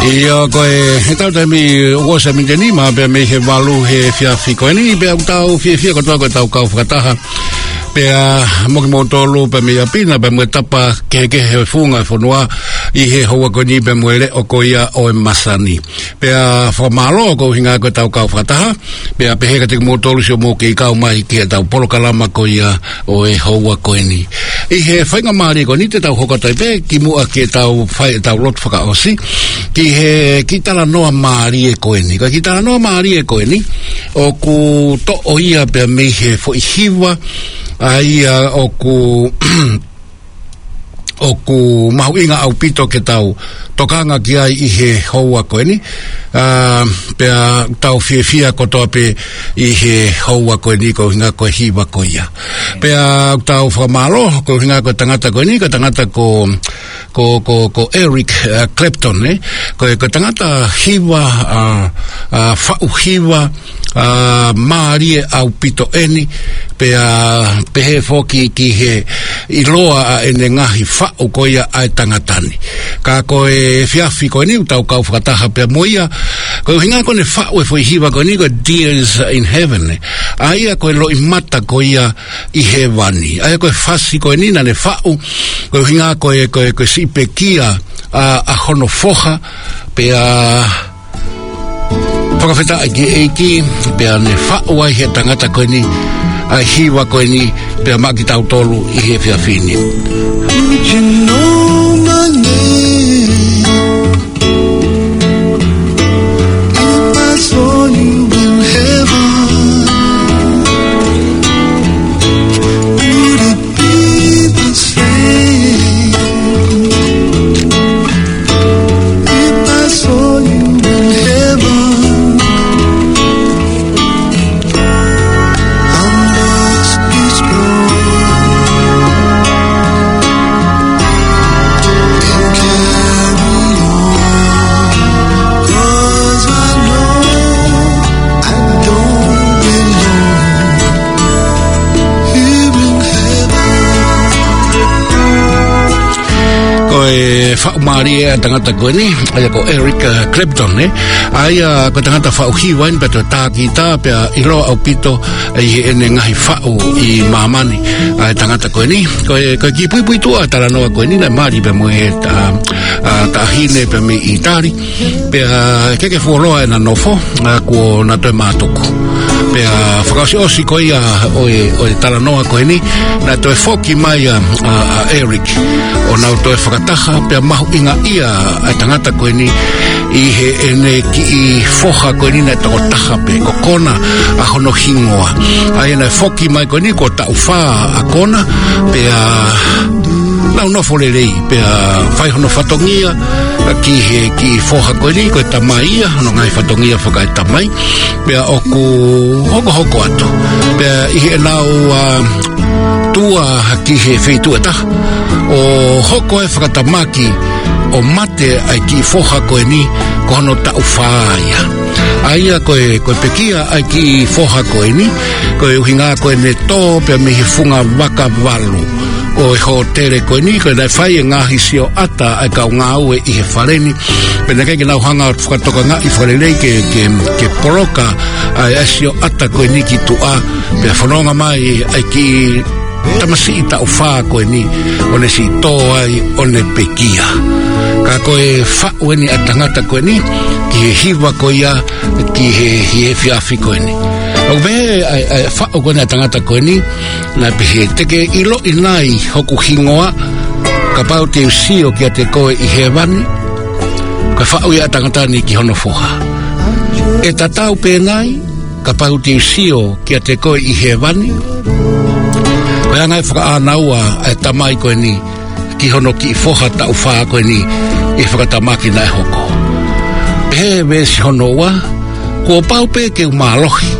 ʻIo, ko e, he tau taimi ʻoku ʻosi ʻa e miniti ʻe nima pea mei he valu he efiafi ko eni, pea ʻoku tau fiefia kotoa ko e tau kau fakataha. Pea mo kimoutolu pea mei ʻapi na, pea mo e tapa kehekehe he funga e fonua ʻi he houa ko eni pea mo e leʻo ko ia ʻo e masani. Pea fakamālō ko e ʻuhinga ko e tau kau fakataha. Pea pehē kiate kimoutolu siʻomou kei kau mai ki he tau polokalama ko ia ʻo e houa ko eni. ʻI he faingamālie ko eni te tau hoko atu ai pē kimuʻa ke tau fai e tau lotu fakaʻosi ki he kiʻi talanoa mālie ko eni. Ko e kiʻi talanoa mālie ko eni ʻoku toʻo ia pea mei he foʻi hiva, ʻa ia ʻoku ʻoku mahuʻinga ʻaupito ke tau tokanga ki ai ʻi he houa ko eni. Ā, pea tau fiefia kotoa pē ʻi he houa ko eni ko e ʻuhinga ko e hiva ko ia. Pea tau fakamālō ko e ʻuhinga ko e tangata ko eni, ko e tangata ko, ko, ko, ko Eric, ā, Clapton, ē? Ko e, ko e tangata hiva, ā, ā, faʻu hiva, ā, mālie ʻaupito eni, pea pehē foki ki he ʻiloa ʻa ʻene ngaahi faʻu ko ia ʻa e tangata ni. Ka ko e efiafi ko eni ʻoku tau kau fakataha pea mo ia, ko e ʻuhinga ko ʻene faʻu e foʻi hiva ko eni ko e Tears in Heaven, ē. ʻA ia ko e loʻimata ko ia ʻi hēvani. ʻA ia ko e fasi ko eni naʻa ne faʻu, ko e ʻuhinga ko e, ko e, ko e siʻi pekia ʻa, ʻa hono foha, pea fakafetaʻi ki he ʻEiki, pea ne faʻu ai he tangata ko eni ʻa e hiva ko eni, pea maʻa kitautolu ʻi he efiafi ni. Would you know my name if I saw you in heaven? Would it be the same if I saw you in heaven? I must be strong and carry on, 'cause I know I don't belong here in heaven. Ko e faʻu mālie ʻa e tangata ko eni, ʻa ia ko Eric, ā, Clapton, ē? ʻA ia ko e tangata faʻu hiva eni pea toe tā kita, pea ʻiloa ʻaupito ʻi heʻene ngaahi faʻu ʻi māmani ʻa e tangata ko eni. Ko e, ko e kiʻi puipuituʻa ʻa e talanoa ko eni naʻe mali pea mo e, ā, ā, taʻahine pea mei ʻĪtali. Pea ʻikai ke fuoloa ʻena nofo, ā, kuo na toe mātuku. Pea fakaʻosiʻosi ko ia ʻo e, ʻo e talanoa ko eni, naʻe toe foki mai ʻa, ʻa, ʻa Eric ʻo nau toe fakataha, pea mahuʻingaʻia ʻa e tangata ko eni ʻi heʻene kiʻi foha ko eni naʻe tokotaha pē, ko Kona ʻa hono hingoa. ʻA ia naʻe foki mai ko eni kuo taʻu fā ʻa Kona, pea nau nofo lelei, pea fai hono fatongia ki he kiʻi foha ko eni, ko e tamai ia, hono ngaahi fatongia fakaetamai, pea ʻoku hokohoko atu. Pea ʻi heʻenau, ā, tuʻa ki he feituʻu ʻe taha, ʻo hoko e fakatamaki ʻo mate ʻa e kiʻi foha ko eni, ko hono taʻu fā ia. ʻA ia ko e, ko e pekia ʻa e kiʻi foha ko eni, ko e ʻuhinga ko ʻene tō pea mei he funga vaka valu ʻo e hōtele ko eni, ko e naʻe fai e ngaahi sioʻata ʻa e kau ngāue ʻi he fale ni. Pea naʻe ʻikai ke nau hanga ʻo fakatokangaʻi fakalelei ke, ke, ke poloka ʻa e, ʻa e sioʻata ko eni ki tuʻa, pea fononga mai ʻa e kiʻi tamasiʻi taʻu fā ko eni, ʻo ne siʻi tō ai, ʻo ne pekia. Ka ko e faʻu eni ʻa e tangata ko eni ki he hiva ko ia, ki he, ki he efiafi ko eni. ʻOku pehē ʻa e, ʻa e faʻu ko eni ʻa e tangata ko eni, naʻe pehē, te ke ʻiloʻi nai hoku hingoa, kapau te u sio kiate koe ʻi hēvani? Ko e faʻu ia ʻa e tangata ni ki hono foha. ʻE tatau pē nai, kapau te u sio kiate koe ʻi hēvani? Ko e anga e fakaʻānaua ʻa e tamai ko eni ki hono kiʻi foha taʻu fā ko eni ʻi he fakatamaki naʻe hoko. Pehē veesi hono ua, kuo pau pē ke u mālohi,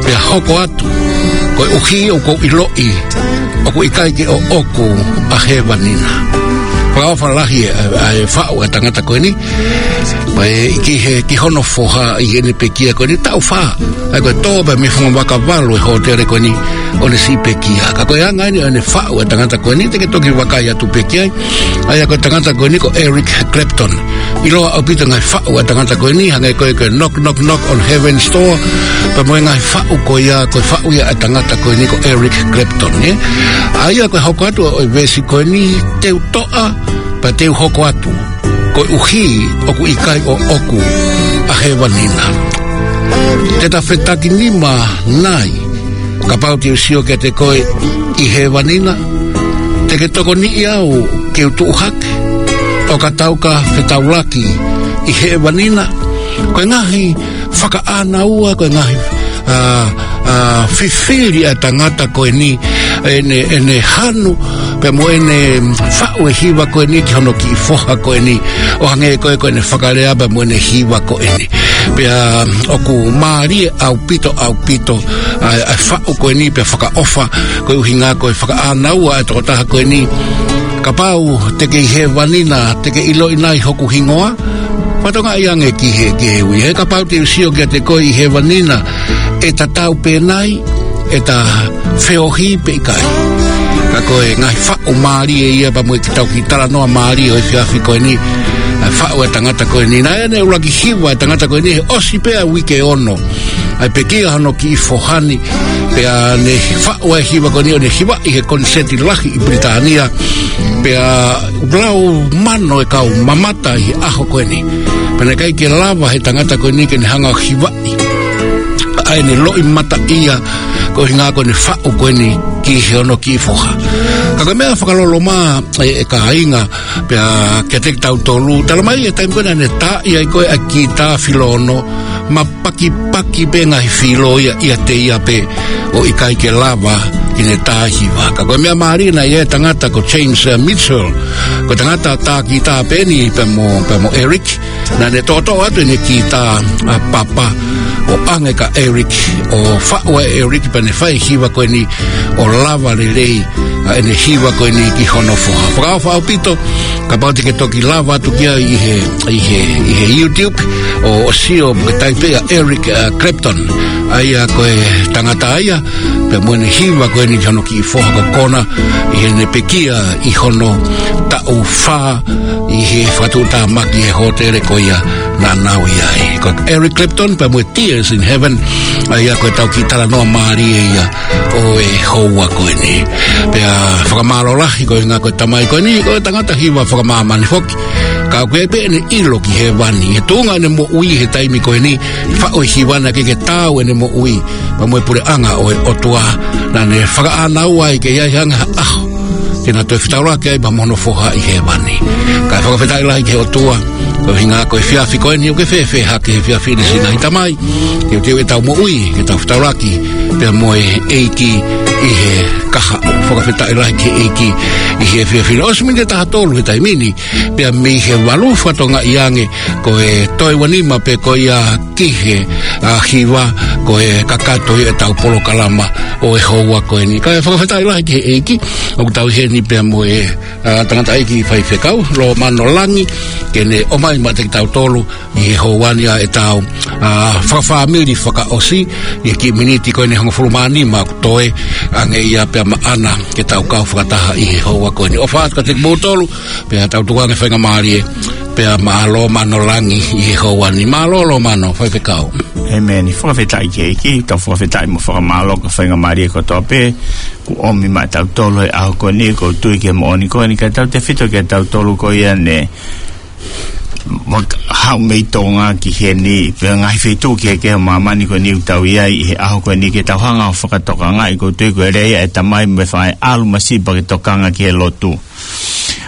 pea hoko atu, koeʻuhi ʻoku ou ʻiloʻi ʻoku ʻikai ke ʻoʻoku ʻa hēvani na. Fakaʻofa lahi ʻa e, ʻa e faʻu ʻa e tangata ko eni. Pea ʻi he, ki hono foha ʻi heʻene pekia ko eni taʻu fā. ʻA ia ko e tō pē mei he funga vaka valu ʻo e hōtele ko eni ʻo ne siʻi pekia. Ka ko e anga eni ʻo ʻene faʻu ʻa e tangata ko eni, te ke toki vakai atu pē ki ai. ʻA ia ko e tangata ko eni ko Eric Clapton. ʻIloa ʻaupito e ngaahi faʻu ʻa e tangata ko eni, hangē ko e, ko e Knock Knock Knock on Heaven's Door, pea mo e ngaahi faʻu ko ia, ko e faʻu ia ʻa e tangata ko eni ko Eric Clapton, ē? ʻA ia ko e hoko atu ʻo e veesi ko eni, te u toʻa, pea te u hoko atu, koeʻuhi ʻoku ʻikai ʻoʻoku ʻa hēvani na. Te ta fetakinima nai, kapau te u sio kiate koe ʻi hēvani na, te ke tokoniʻi au ke u tuʻu hake, ʻo ka tau ka fetaulaki ʻi hēvani na. Ko e ngaahi fakaʻānaua, ko e ngaahi, ā, ā, fifili ʻa e tangata ko eni, ʻene, ʻene hanu, pea mo ʻene faʻu e hiva ko eni ki hono kiʻi foha ko eni, ʻo hangē ko e, ko ʻene fakalea pea mo ʻene hiva ko eni. Pea ʻoku mālie ʻaupito, ʻaupito, ʻa e, ʻa e faʻu ko eni, pea fakaʻofa, ko e ʻuhinga ko e fakaʻānaua ʻa e tokotaha ko eni. Kapau te ke ʻi hēvani na, te ke ʻiloʻi nai hoku hingoa, fakatokangaʻi ange ki he, ki he ui. He kapau te u sio kiate koe ʻi hēvani na, ʻe tatau pē nai ʻeta feohi pe ʻikai. Ka ko e ngaahi faʻu mālie ia pea mo e kiʻi tau kiʻi talanoa mālie ʻo e efiafi ko eni, ʻa e faʻu ʻa e tangata ko eni. Naʻe ʻuluaki hiva ʻa e tangata ko eni he ʻosi pē ʻa e uike ono ʻa e pekia hono kiʻi foha ni, pea ne faʻu ʻa e hiva ko eni ʻo ne hivaʻi he koniseti lahi ʻi Pilitānia, pea lau mano e kau mamata ʻi he ʻaho ko eni. Pea naʻe ʻikai ke lava he tangata ko eni ke ne hanga ʻo hivaʻi ʻa ʻene loʻimataʻia, ko e ʻuhinga ko ʻene faʻu ko eni ki hono kiʻi foha. Ka ko e meʻa fakaloloma ē, ʻe kāinga, pea kiate kitautolu, talamai ʻi he taimi ko ē naʻa ne taaʻi ai ko ē ʻa e kitā filo ono, mapakipaki pē ngaahi filo ia ʻiate ia pē ʻo ʻikai ke lava ke ne tā hiva. Ka ko e meʻa mālie naʻe ʻi ai e tangata ko James, ē, Mitchell, ko e tangata tā kitā pē eni pea mo, pea mo Eric, naʻa ne toʻotoʻo atu ʻene kitā, ā, papa, ʻo ʻange kia Eric, ʻo faʻu ʻe Eric pea ne fai e hiva ko eni ʻo lava lelei ʻa ʻene hiva ko eni ki hono foha. Fakaʻofa ʻaupito, kapau te ke toki lava atu ki ai ʻi he, ʻi he, ʻi he YouTube, ʻo, ʻo sio mo ke taipe ʻa Eric, ā, Clapton. ʻA ia ko e tangata ia, pea mo ʻene hiva ko eni ki hono kiʻi foha ko Kona, ʻi heʻene pekia ʻi hono taʻu fā, ʻi he fakatuʻutāmaki he hōtele ko ia naʻa nau ʻi ai. Ko Eric Clapton, pea mo e Tears in Heaven, ʻa ia ko e tau kiʻi talanoa mālie ia ʻo e houa ko eni. Pea fakamālō lahi ko e ʻuhinga ko e tamai ko eni, ko e tangata hiva fakamāmani foki. Ka ʻoku ʻi ai pē ʻene ʻilo ki hēvani, he tuʻunga ʻene moʻui he taimi ko eni, faʻu e hiva naʻe ʻikai ke taau ʻene moʻui pea mo e puleʻanga ʻo e ʻOtua, naʻa ne fakaʻānaua ai ke ʻi ai hanga ha ʻaho te na toe fetaulaki ai pea mo hono foha ʻi hēvani. Kae fakafetaʻi lahi ki he ʻOtua, ko e ʻuhinga ko e efiafi ko eni ʻoku ke fēfē hake he efiafi ni, siʻi ngaahi tamai, teuteu ʻetau moʻui ke tau fetaulaki pea mo e ʻEiki ʻi he kahaʻu. Fakafetaʻi lahi ki he ʻEiki ʻi he efiafi ni. ʻOsi miniti ʻe taha tolu he taimi ni, pea mei he valu fakatokangaʻi ange ko e toe ua nima pē ko ia ki he, ā, hiva, ko e kakato ia ʻetau polokalama ʻo e houa ko eni. Kae fakafetaʻi lahi ki he ʻEiki, ʻoku tau ʻi heni pea mo e, ā, tangataʻeiki faifekau, Lomano Langi, ke ne ʻomai maʻa kitautolu ʻi he houa ni ʻa ʻetau, ā, fakafāmili fakaʻosi, ʻi he kiʻi miniti ko eni ʻe hongofulu mā nima ʻoku toe ange ia pea maʻana ke tau kau fakataha ʻi he houa ko eni. ʻOfa atu kiate kimoutolu, pea tau tuku ange faingamālie pea maʻa Lomano Langi ʻi he houa ni. Mālō Lomano, faifekau. ʻĒmeni. Fakafetaʻi ki he ʻEiki, tau fakafetaʻi mo fakamālō ki he faingamālie kotoa pē kuo ʻomi maʻatautolu he ʻaho ko eni, ʻoku ou tui ki he moʻoni ko eni, kae tautefito kiate kitautolu ko ia ne mak-, haʻu mei Tonga ki heni, pea ngaahi feituʻu kehekehe ʻo māmani ko eni ʻoku tau ʻi ai ʻi he ʻaho ko eni ke tau hanga ʻo fakatokangaʻi, ʻoku ou tui ko e lea ia ʻa e tamai mo e faʻē, ʻalu masiva ke tokanga ki he lotu.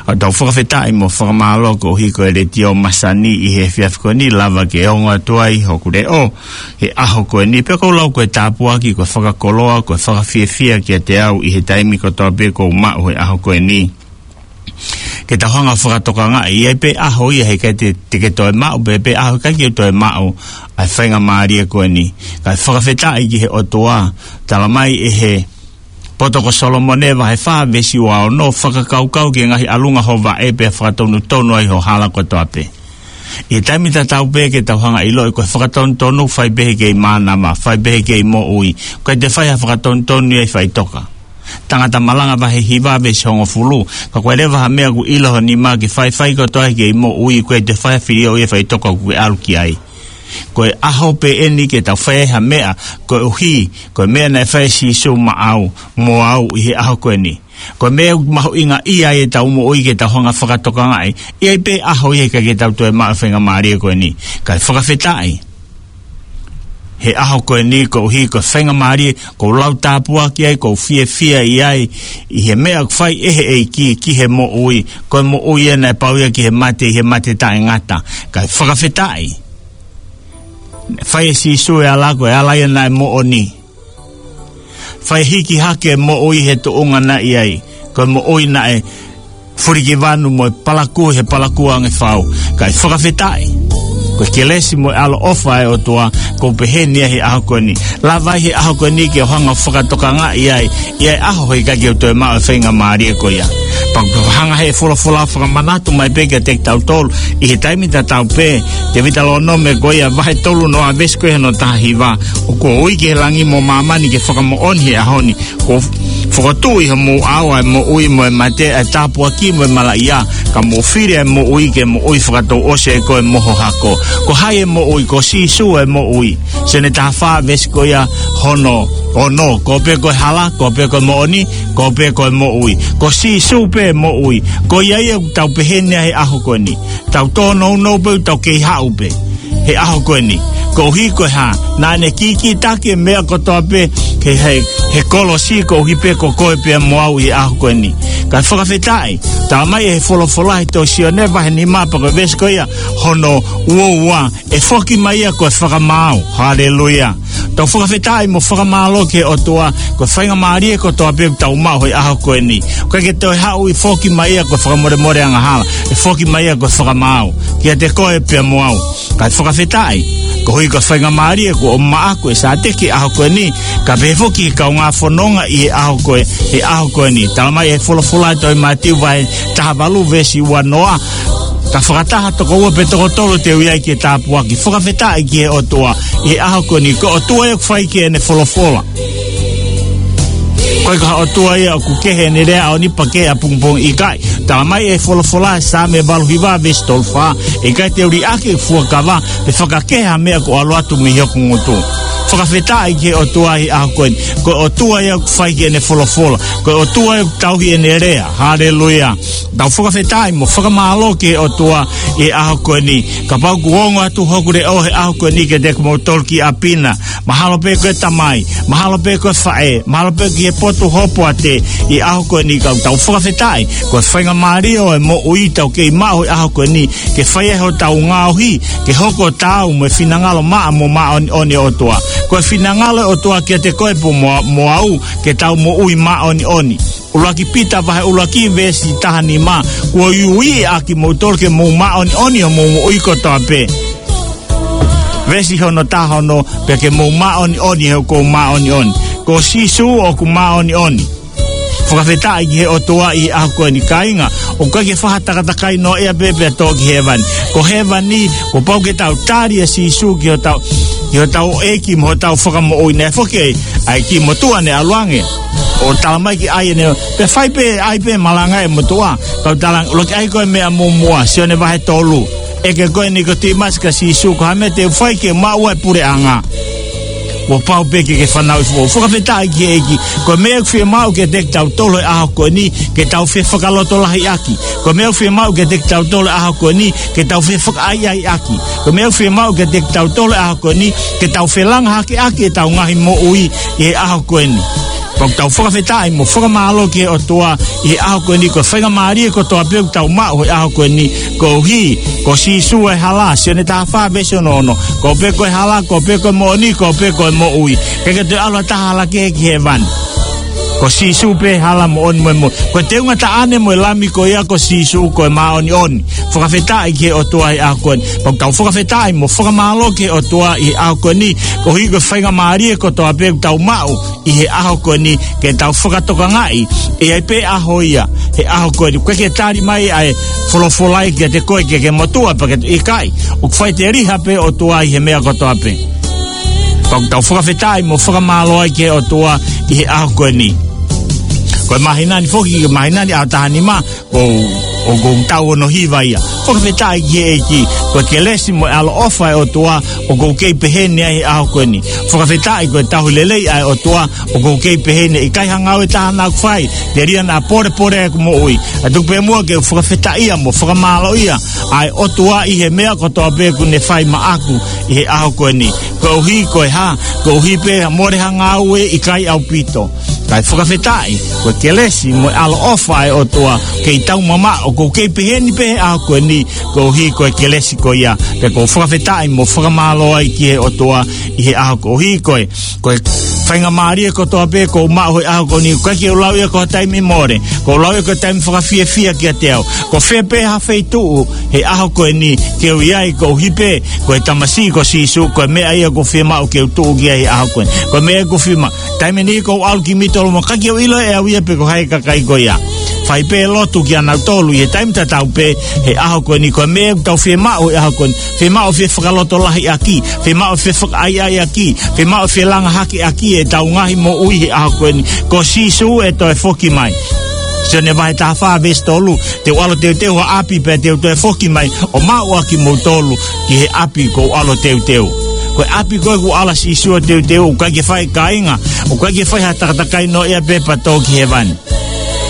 ʻOku tau fakafetaʻi mo fakamālō koeʻuhi ko e Letiō Masani ʻi he efiafi ko eni, lava ke ongo atu ai hoku leʻo he ʻaho ko eni, pea ʻoku ou lau ko e tāpuaki, ko e fakakoloa, ko e fakafiefia kiate au ʻi he taimi kotoa pē kuo u maʻu he ʻaho ko eni. Ke tau hanga ʻo fakatokangaʻi, ʻi ai pē ʻaho ia he ʻikai te, te ke toe maʻu, pea pē ʻaho ʻikai ke toe maʻu ʻa e faingamālie ko eni. Kae fakafetaʻi ki he ʻOtua, talamai ʻe he Poto ko Solomone vahe fā veesi ua ono, fakakaukau ki he ngaahi ʻalunga ho vaʻe pea fakatonutonu ai ho hala kotoa pē. ʻI he taimi tatau pē ke tau hanga ʻo ʻiloʻi ko e fakatonutonu fai pē he kei mānava, fai pē he kei moʻui, ʻoku ʻikai te fai ha fakatonutonu ia ʻi faʻitoka. Tangata Malanga vahe hiva veesi hongofulu, ka ko e leva ha meʻa ʻoku ʻilo ho nima ke faifai kotoa he kei moʻui, ʻoku ʻikai te fai ha filioʻi ia ʻi faʻitoka ʻoku ke ʻalu ki ai. Ko e ʻaho pē eni ke tau fai ai ha meʻa, koeʻuhi ko e meʻa naʻe fai ʻe Sīsū maʻau mo au ʻi he ʻaho ko eni. Ko e meʻa ʻoku mahuʻingaʻia ai ʻetau moʻui ke tau hanga ʻo fakatokangaʻi, ʻi ai pē ʻaho ia he ʻikai ke tau toe maʻu e faingamālie ko eni. Kae fakafetaʻi he ʻaho ko eni koeʻuhi ko e faingamālie ʻoku ou lau tāpuaki ai, ʻoku ou fiefia ʻi ai, ʻi he meʻa ʻoku fai ʻe he ʻEiki ki he moʻui, ko e moʻui ia naʻe pau ia ki he mate, ʻi he mate taʻengata. Kae fakafetaʻi. Fai ʻe Sīsū e ala, ko e ala ia naʻe moʻoni. Fai hiki hake e moʻui he tuʻunga naʻe ʻi ai, ko e moʻui naʻe fulikivanu mo e palakū he palakū ange fau. Kae fakafetaʻi. Ko e kelesi mo e ʻaloʻofa ʻa e ʻOtua, ʻoku ou pehē ni ia he ʻaho ko eni. Lava ai he ʻaho ko eni ke u hanga ʻo fakatokangaʻi ai, ʻi ai e ʻaho he ʻikai ke u toe maʻu e faingamālie ko ia. Pea ʻoku hanga ʻe he folofola ʻo fakamanatu mai pē kiate kitautolu, ʻi he taimi tatau pē, Tēvita Lōnome ko ia vahe tolu noa veesi ko ia hono taha hiva, ʻoku ou ui ki he langi mo māmani ke fakamoʻoni he ʻaho ni, kuo u fokotuʻu ʻi homou ʻao ʻa e moʻui mo e mate, ʻa e tāpuaki mo e malaʻia, ka mou fili ʻa e moʻui ke moʻui fakatouʻosi ai koe mo ho hako. Ko hai e moʻui? Ko Sīsū e moʻui. Sione taha fā veesi ko ia hono ono, koeʻuhi pē ko e hala, koeʻuhi pē ko e moʻoni, koeʻuhi pē ko e moʻui. Ko Sīsū pē moʻui. Ko ia ia ʻoku tau pehē ni ia he ʻaho ko eni. Tau tōnounou pē, tau kei haʻu pē he ʻaho ko eni. Koeʻuhi ko e hā? Naʻa ne kīkītaki e meʻa kotoa pē he, he, he kolosi, koeʻuhi pē ko koe pea mo au ʻi he ʻaho ko eni. Kae fakafetaʻi, talamai ʻe he folofola ʻi he tohi Sione vahe nima pea ko e veesi ko ia hono ua ua, ʻe foki mai ia ko e fakamaau. Haleluia. Tau fakafetaʻi mo fakamālō ki he ʻOtua, ko e faingamālie kotoa pē ʻoku tau maʻu he ʻaho ko eni. ʻOku ʻikai ke toe haʻu ʻo foki mai ia ko e fakamolemole angahala. ʻE foki mai ia ko e fakamaau kiate koe pea mo au. Kae fakafetaʻi, koeʻuhi ko e faingamālie kuo maʻa ʻe Sāteki he ʻaho ko eni, kae pehē foki ki he kaungā fononga ʻi he ʻaho ko e, he ʻaho ko eni. Talamai ʻe he folofola ʻi he tohi Mātiu vahe taha valu veesi ua noa, ka fakataha toko ua pe toko tolu te u ʻi ai ke tāpuaki. Fakafetaʻi ki he ʻOtua ʻi he ʻaho ko eni. Ko e ʻOtua ia ʻoku fai ki heʻene folofola. ʻIkai ko ha ʻOtua ia ʻoku kehe ʻene lea ʻaho ni pea kehe ʻapongipongi, ʻikai. Talamai ʻe he folofola ʻi he Saame valu hiva veesi tolu fā, ʻe ʻikai te u liʻaki ʻeku fuakava, pe fakakehe ha meʻa kuo ʻalu atu mei hoku ngutu. Fakafetaʻi ki he ʻOtua ʻi he ʻaho ko eni. Ko e ʻOtua ia ʻoku fai ki heʻene folofola. Ko e ʻOtua ia ʻoku tauhi ʻene lea. Haleluia. Tau fakafetaʻi mo fakamālō ki he ʻOtua ʻi he ʻaho ko eni. Kapau kuo ongo atu hoku leʻo he ʻaho ko eni kiate kimoutolu ki ʻapi na, mahalo pē ko e tamai, mahalo pē ko e faʻē, mahalo pē ki he potu hopoate, ʻi he ʻaho ko eni ka tau fakafetaʻi, ko e faingamālie ʻo e moʻui tau kei maʻu he ʻaho ko eni, ke fai ai hotau ngaohi ke hoko taau mo e finangalo maʻa mo māʻoniʻoni ʻo e ʻOtua. Ko e finangalo ʻo e ʻOtua kiate koe pea mo, mo au, ke tau moʻui māʻoniʻoni. ʻUluaki Pita vahe ʻuluaki veesi taha nima, kuo uiuiʻi ʻa kimoutolu ke mou māʻoniʻoni ʻi hoʻomou moʻui kotoa pē. Veesi hono taha ono, pea ke mou māʻoniʻoni he ʻoku ou māʻoniʻoni. Ko Sīsū ʻoku māʻoniʻoni. Fakafetaʻi ki he ʻOtua ʻi he ʻaho ko eni, kāinga. ʻOku ʻikai ke fai ha takatakai noaʻia pē pea tō ki hēvani. Ko hēvani, kuo pau ke tau tali ʻa Sīsū ki hotau, ki hotau ʻEiki mo hotau Fakamoʻui. Naʻe foki ʻa e kiʻi motuʻa naʻe ʻalu ange ʻo talamai ke ʻai ʻene, pea fai pē, ʻai pē malanga e motuʻa. Kau talang, ʻuluaki ʻai koe meʻa muʻomuʻa, Sione vahe tolu. ʻEke koe Nikotīmasi kia Sīsū, ko e hā e meʻa te u fai ke maʻu ʻa e puleʻanga? Kuo pau pē ke ke fanauʻi foʻou. Fakafetaʻi ki he ʻEiki. Ko e meʻa ʻoku fiemaʻu kiate kitautolu he ʻaho ko eni, ke tau fefakalotolahiʻaki. Ko e meʻa ʻoku fiemaʻu kiate kitautolu he ʻaho ko eni, ke tau fefakaʻaiʻaiʻaki. Ko e meʻa ʻoku fiemaʻu kiate kitautolu he ʻaho ko eni, ke tau felangahakeʻaki ʻetau ngaahi moʻui ʻi he ʻaho ko eni. Pea ʻoku tau fakafetaʻi mo fakamālō ki he ʻOtua ʻi he ʻaho ko eni, ko e faingamālie kotoa pē ʻoku tau maʻu he ʻaho ko eni, koeʻuhi ko Sīsū e hala, Sione taha fā veesi ono ono. Koeʻuhi pē ko e hala, koeʻuhi pē ko e moʻoni, koeʻuhi pē ko e moʻui. ʻIkai ke toe ʻalu ha taha hala kehe ki hēvani. Ko Sīsū pē hala moʻoni mo e moʻui. Ko e teunga taʻane mo e lami ko ia ko Sīsū ko e māʻoniʻoni. Fakafetaʻi ki he ʻOtua he ʻaho ko eni. Pea ʻoku tau fakafetaʻi mo fakamālō ki he ʻOtua ʻi he ʻaho ko eni. Koeʻuhi ko e faingamālie kotoa pē ʻoku tau maʻu ʻi he ʻaho ko eni ke tau fakatokangaʻi. ʻE ʻi ai pē ʻaho ia he ʻaho ko eni ʻoku ʻikai ke tali mai ʻa e folofola ia kiate koe ke ke motuʻa pe ke ʻikai. ʻOku faʻiteliha pē ʻOtua ʻi he meʻa kotoa pē. Pea ʻoku tau fakafetaʻi mo fakamālō ai ki he ʻOtua ʻi he ʻaho ko eni. Ko e māhina ni foki, ko e māhina ni ʻaho taha nima, ʻoku ou, ʻoku ou tau ono hiva ia. Fakafetaʻi ki he ʻEiki, ko e kelesi mo e ʻaloʻofa ʻa e ʻOtua, ʻoku ou kei pehē ni ai he ʻaho ko eni. Fakafetaʻi ko e tauhi lelei ʻa e ʻOtua, ʻoku ou kei pehē ni, ʻikai ha ngāue ʻe taha naʻa ku fai, telia naʻa polepole ʻeku moʻui. ʻA tuku pē muʻa ke u fakafetaʻia mo fakamālōʻia ʻa e ʻOtua ʻi he meʻa kotoa pē ʻoku ne fai maʻaku ʻi he ʻaho ko eni. Koeʻuhi ko e hā, koeʻuhi pē ha mole ha ngāue ʻikai ʻaupito. Kae fakafetaʻi, ko e kelesi mo e ʻaloʻofa ʻa e ʻOtua, kei tau mamaʻo, ʻoku ou kei pehē ni pē he ʻaho ko eni, koeʻuhi ko e kelesi ko ia, pea ʻoku ou fakafetaʻi mo fakamālō ai ki he ʻOtua ʻi he ʻaho koeʻuhi ko e, ko e faingamālie kotoa pē ʻoku ou maʻu he ʻaho ko eni, ʻoku ʻikai ke u lau ia ko ha taimi mole, ʻoku ou lau ia ko e taimi fakafiefia kiate au. Ko fē pē ha feituʻu he ʻaho ko eni ke u ʻi ai koeʻuhi pē ko e tamasiʻi ko Sīsū, ko e meʻa ia ʻoku ou fiemaʻu ke u tuʻu ki ai he ʻaho ko eni. Ko e meʻa ʻoku ou fiemaʻu. Taimi ni ʻoku ou ʻalu ki Mitoloma, ʻikai ke u ʻilo ʻe au ia pe ko hai e kakai ko ia. Fai pē lotu kia nautolu ʻi he taimi tatau pē he ʻaho ko eni, ko e meʻa ʻoku tau fiemaʻu he ʻaho ko eni. Fiemaʻu fie fakalotolahiʻaki, fiemaʻu fie fakaʻaiʻaiʻaki, fiemaʻu fie langa hakeʻaki ʻetau ngaahi moʻui he ʻaho ko eni. Ko Sīsū ʻe toe foki mai. Sione vahe taha fā veesi tolu, te u ʻalu ʻo teuteu ha ʻapi pea te u toe foki mai ʻo maʻu ʻa kimoutolu ki he ʻapi ʻoku ou ʻalu ʻo teuteu. Ko e ʻapi ko ē ʻoku ʻalu ai Sīsū ʻo teuteu, ʻoku ʻikai ke fai, kāinga, ʻoku ʻikai ke fai ha takatakai noaʻia pē pea tō ki hēvani.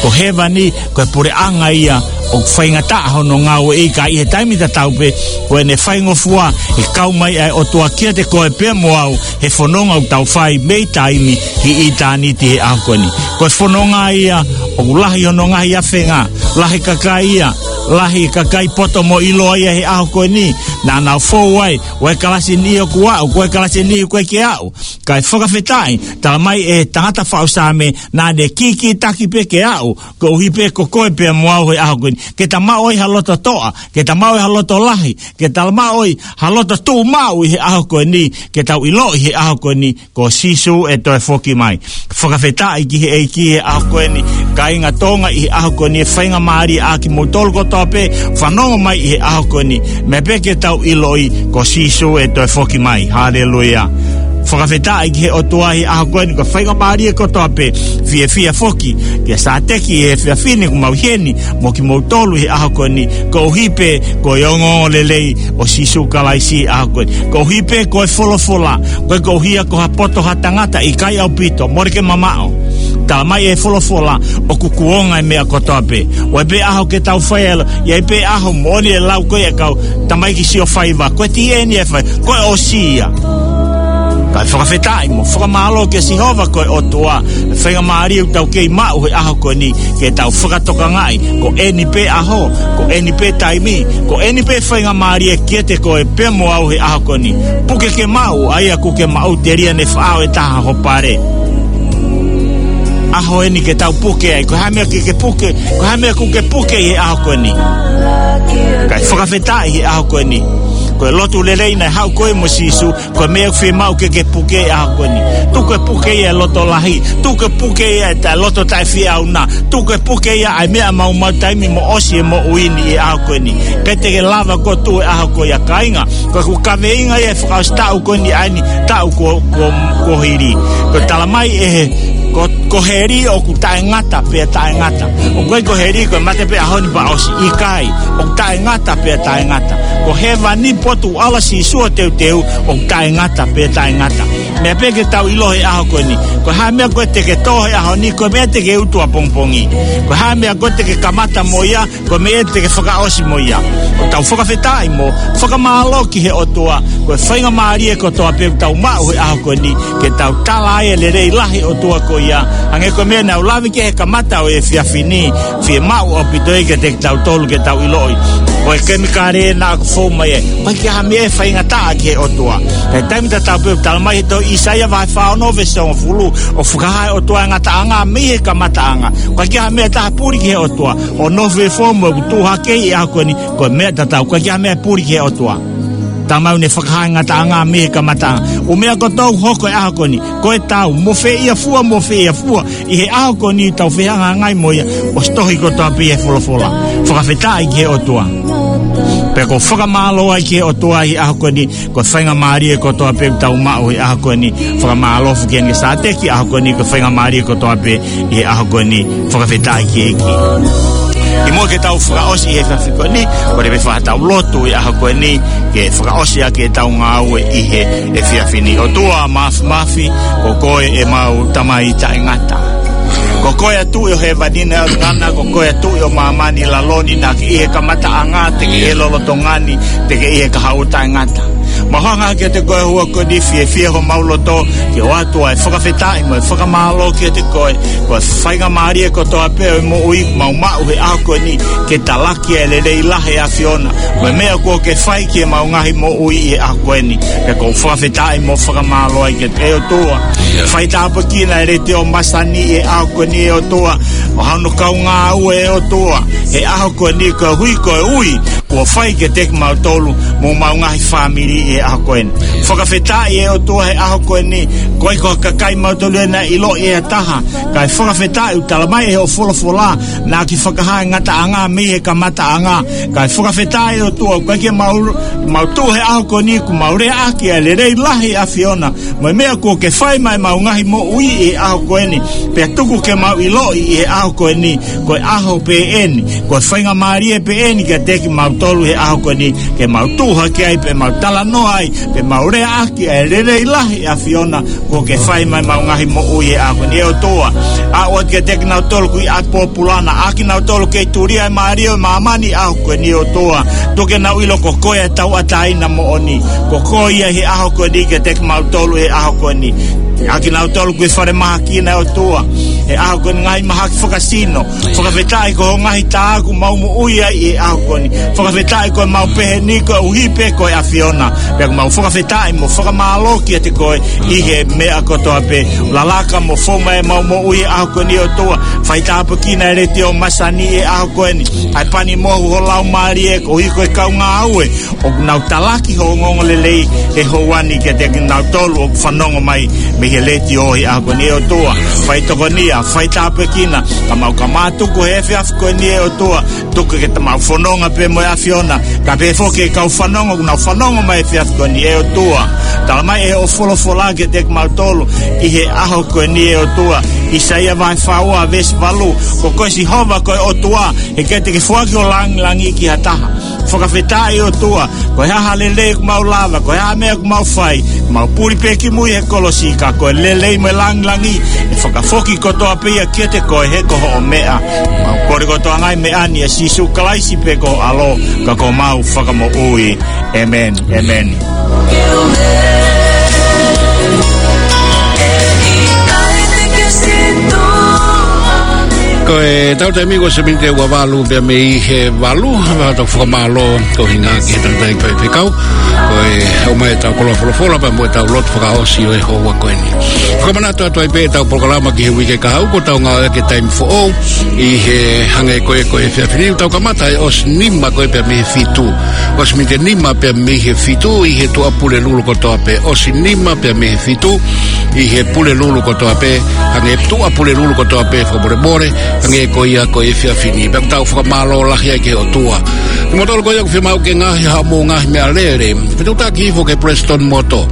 Ko hēvani, ko e puleʻanga ia ʻoku faingataʻa hono ngāueʻi, ka ʻi he taimi tatau pē, ko ʻene faingofua ʻe kau mai ʻa e ʻOtua kiate koe pea mo au he fononga ʻoku tau fai mei taimi ki ʻitāniti he ʻaho ko eni. Ko e fononga ia ʻoku lahi hono ngaahi afenga, lahi kakai ia, lahi kakai poto mo ʻiloa ia he ʻaho ko eni, naʻa nau fou ai, ʻoku ʻi ai e kalasi ʻe niʻihi ʻoku aʻu, ʻoku ʻi ai e kalasi ʻe niʻihi ʻoku ʻikai ke aʻu. Kae fakafetaʻi, tala mai ʻe he tangata faʻu Saame, naʻa ne kīkītaki pē ke aʻu, koeʻuhi pē ko koe pea mo au he ʻaho ko eni. Ke ta maʻu ai ha loto toʻa, ke ta maʻu ai ha loto lahi, ke ta maʻu ai ha loto tuʻumaʻu ʻi he ʻaho ko eni, ke tau ʻiloʻi he ʻaho ko eni, ko Sīsū ʻe toe foki mai. Fakafetaʻi ki he ʻEiki he ʻaho ko eni, kāinga Tonga ʻi he ʻaho ko eni, faingamālie ʻa kimoutolu kotoa pē, fanongo mai ʻi he ʻaho ko eni, meʻa pē ke tau ʻiloʻi, ko Sīsū ʻe toe foki mai. Haleluia. Fakafetaʻi ki he ʻOtua he ʻaho ko eni, ko e faingamālie kotoa pē, fiefia foki, kia Sāteki he efiafi ni ʻoku mau ʻi heni, mo kimoutolu he ʻaho ko eni, koeʻuhi pē, ko e ongoongolelei ʻo Sīsū Kalaisi he ʻaho ko eni. Koeʻuhi pē, ko e folofola, ʻoku ʻikai koeʻuhi ia ko ha poto ha tangata, ʻikai ʻaupito, mole ke mamaʻo. Tala mai ʻe he folofola, ʻoku kuonga e meʻa kotoa pē. ʻOku ʻi ai pē ʻaho ke tau fai ʻa e lotu, ʻi ai pē ʻaho moʻoni e lau ko ē ʻa e kau tamaiki sio faiva, ko e T N F, ko e ʻosi ia. Kae fakafetaʻi mo fakamālō kia Sihova ko e ʻOtua, faingamālie ʻoku tau kei maʻu he ʻaho ko eni, ke tau fakatokangaʻi, ko eni pē ʻaho, ko eni pē taimi, ko eni pē faingamālie kiate koe pea mo au he ʻaho ko eni. Puke ke maʻu, ʻa ia ʻoku ke maʻu telia ne faʻao ʻe taha ho pale. ʻAho eni ke tau puke ai, ko e hā e meʻa ke ke puke, ko e hā e meʻa ʻoku ke puke he ʻaho ko eni. Kae fakafetaʻi he ʻaho ko eni. Ko e lotu lelei naʻe haʻu ko ē mo Sīsū, ko e meʻa ʻoku fiemaʻu ke ke puke he ʻaho ko eni. Tuku e puke ia e loto lahi, tuku e puke ia e taʻe loto taʻefieʻauna, tuku e puke ia ʻa e meʻa maumau taimi mo ʻosi e moʻui ni he ʻaho ko eni. ʻIkai te ke lava ʻo tuʻu he ʻaho ko ia kāinga, ko ʻeku kaveinga ia he fakaʻosi taʻu ko eni ʻa eni taʻu ko, ko, ko hili. Ko e tala mai ʻe he, ko, ko heli ʻoku taʻengata pea taʻengata. ʻOku ʻikai ko heli ko e mate pē ʻaho ni pea ʻosi, ʻikai. ʻOku taʻengata pea taʻengata. Ko hēvani potu ʻoku ʻalu ai Sīsū ʻo teuteu, ʻoku taʻengata pea taʻengata. Meʻa pē ke tau ʻilo he ʻaho ko eni. Ko e hā e meʻa ko ē te ke tō he ʻaho ni, ko e meʻa te ke utu ʻapongipongi. Ko e hā e meʻa ko ē te ke kamata mo ia, ko e meʻa te ke fakaʻosi mo ia. ʻOku tau fakafetaʻi mo fakamālō ki he ʻOtua, ko e faingamālie kotoa pē ʻoku tau maʻu he ʻaho ko eni, ke tau tala ai e lelei lahi ʻo e ʻOtua ko ia. Hangē ko e meʻa naʻa ku lave ki ai he kamata ʻo e efiafi ni, fiemaʻu ʻaupito ia kiate kitautolu ke tau ʻiloʻi. Ko e kemikale naʻa ku fou mai ai, ʻoku ʻikai ha meʻa ʻe faingataʻa ki he ʻOtua. He taimi tatau pē ʻoku tala mai he tohi ʻĪsaia vahe fā ono veesi hongofulu, ʻoku fakahā ʻe he ʻOtua e ngataʻanga mei he kamataʻanga. ʻOku ʻikai ha meʻa ʻe taha puli ki he ʻOtua. ʻO nofo ʻi he foʻi mo ʻoku tuʻu hake ʻi he ʻaho ko eni, ko e meʻa tatau, ʻoku ʻikai ha meʻa puli ki he ʻOtua. Talamai ʻoku ne fakahā e ngataʻanga mei he kamataʻanga. ʻŪ meʻa kotoa ʻoku hoko he ʻaho ko eni, ko e tau, mo fēʻia fua, mo fēʻia fua, ʻi he ʻaho ko eni ʻoku tau fehangahangai mo ia, ʻosi tohi kotoa pē ʻi he folofola. Fakafetaʻi ki he ʻOtua. Pea ʻoku ou fakamālō ai ki he ʻOtua ʻi he ʻaho ko eni, ko e faingamālie kotoa pē ʻoku tau maʻu ʻi he ʻaho ko eni. Fakamālō foki ʻEne Sāteki ʻaho ko eni, ko e faingamālie kotoa pē ʻi he ʻaho ko eni. Fakafetaʻi ki he ʻEiki. ʻI muʻa ke tau fakaʻosi ʻi he efiafi ko eni, kole pē fai haʻatau lotu ʻi he ʻaho ko eni, ke fakaʻosi ʻaki ʻetau ngāue ʻi he efiafi ni. ʻOtua Māfimafi, ko koe ʻemau Tamai taʻengata. Ko koe ʻa e Tuʻi ʻo hēvani mo ʻaolingi, ko koe ʻa e Tuʻi ʻo māmani ʻi lalo ni, naʻa ke ʻi he kamataʻanga, te ke ʻi he lolotonga ni, te ke ʻi he kahaʻu taʻengata. Mau hanga kiate koe he houa ko eni, fiefia homau loto ke ʻoatu ʻa e fakafetaʻi mo e fakamālō kiate koe. Ko e faingamālie kotoa pē ʻo e moʻui ʻoku mau maʻu he ʻaho ko eni, ke talaki ʻa e lelei lahi ʻa e ʻAfiona mo e meʻa kuo ke fai ki heʻemau ngaahi moʻui ʻi he ʻaho ko eni. Pea ʻoku ou fakafetaʻi mo fakamālō ai kiate koe ʻe ʻOtua. Fai tāpuekina e Letiō Masani ʻi he ʻaho ko eni ʻe ʻOtua, ʻo hano kau ngāue ʻe ʻOtua he ʻaho ko eni, koeʻuhi ko e ui kuo fai kiate kimautolu mo homau ngaahi fāmili ʻi he ʻaho ko eni. Fakafetaʻi ʻe ʻOtua he ʻaho ko eni, ʻoku ʻikai ko ha kakai kimautolu ia naʻe ʻiloʻi ʻe ha taha, kae fakafetaʻi ʻoku talamai ʻe hoʻo folofola naʻa ke fakahā e ngataʻanga mei he kamataʻanga. Kae fakafetaʻi ʻe ʻOtua, ʻoku ʻikai ke mau, mau tuʻu he ʻaho ko eni kuo mau leaʻaki ʻa e lelei lahi ʻa e ʻAfiona mo e meʻa kuo ke fai maʻa ʻemau ngaahi moʻui ʻi he ʻaho ko eni. Pea tuku ke mau ʻiloʻi ʻi he ʻaho ko eni, ko e ʻaho pē eni, ko e faingamālie pē eni kiate kimautolu he ʻaho ko eni, ke mau tuʻu hake ai, pea mau talanoa ai, pea mau leaʻaki ʻa e lelei lahi ʻa e ʻAfiona kuo ke fai maʻa ʻemau ngaahi moʻui he ʻaho ko eni ʻe ʻOtua. ʻAʻu atu kiate kinautolu ʻoku ʻi ʻapi pōpula na, ʻa kinautolu kei tulia e mālie ʻo e māmani he ʻaho ko eni ʻe ʻOtua. Tuku ke nau ʻilo ko koe ʻa e tauʻatāina moʻoni. Ko koe ia he ʻaho ko eni kiate kimautolu he ʻaho ko eni. ʻA kinautolu ʻoku ʻi falemahaki na ʻe ʻOtua he ʻaho ko eni, ngaahi mahaki fakasino. Fakafetaʻi ko hoʻo ngaahi tā ʻoku mau moʻui ai he ʻaho ko eni. Fakafetaʻi ko ʻemau pehē ni koeʻuhi pē ko e ʻAfiona. Pea ʻoku mau fakafetaʻi mo fakamālō kiate koe ʻi he meʻa kotoa pē. Lalaka mo fou mai ʻemau moʻui he ʻaho ko eni ʻe ʻOtua. Fai tāpuekina e Letiō Masani he ʻaho ko eni, ʻa e pani mohu ho Laumālie koeʻuhi ko e kau ngāue ʻoku nau talaki ho ongoongolelei he houa ni kiate kinautolu ʻoku fanongo mai mei he letiō he ʻaho ko eni ʻe ʻOtua. Fai tokonia, fai tāpuekina, ka mau ka mātuku he efiafi ko eni ʻe ʻOtua. Tuku ke ta mau fononga pē mo e ʻAfiona, kae pehē foki ki he kau fanongo ʻoku nau fanongo mai he efiafi ko eni ʻe ʻOtua. Talamai ʻe hoʻo folofola kiate kimautolu ʻi he ʻaho ko eni ʻe ʻOtua, ʻĪsaia vahe fā ua veesi valu, ko koe Sihova ko e ʻOtua, he ʻikai te ke foaki ho lāngilangi ki ha taha. Fakafetaʻi ʻOtua, ko e hā ha lelei ʻoku mau lava, ko e hā ha meʻa ʻoku mau fai, mau puli pē ki mui he kolosi, ka ko e lelei mo e lāngilangi ʻe fakafoki kotoa pē ia kiate koe he ko hoʻo meʻa. Mau kole kotoa ngaahi meʻa ni ʻia Sīsū Kalaisi pē ko ho ʻAlo, ka ko homau Fakamoʻui. ʻĒmeni. ʻĒmeni. Ko ʻetau taimi ko e miniti ʻe ua valu pea mei he valu, ʻa ʻetau fakamālō ko hinga ki he tangataʻeiki faifekau, ko e ʻomai ʻetau koloa folofola pea mo ʻetau lotu fakaʻosi ʻo e houa ko eni. Fakamanatu atu ai pē ʻetau polokalama ki he uike kahaʻu, ko ʻetau ngāueʻaki e taimi foʻou ʻi he hangē ko e, ko e efiafi ni, ʻoku tau kamata he ʻosi nima ko ē pea mei he fitu. ʻOsi miniti ʻe nima pea mei he fitu ʻi he Tuʻapulelulu kotoa pē. ʻOsi nima pea mei he fitu ʻi he Pulelulu kotoa pē, hangē Tuʻapulelulu kotoa pē, fakamolemole, hangē ko ia ko e efiafi ni. Pea ʻoku tau fakamālō lahi ai ki he ʻOtua. Kimoutolu ko ia ʻoku fiemaʻu ke ngaahi haʻamou ngaahi meʻalele, fetuʻutaki hifo ki he Prestone Motor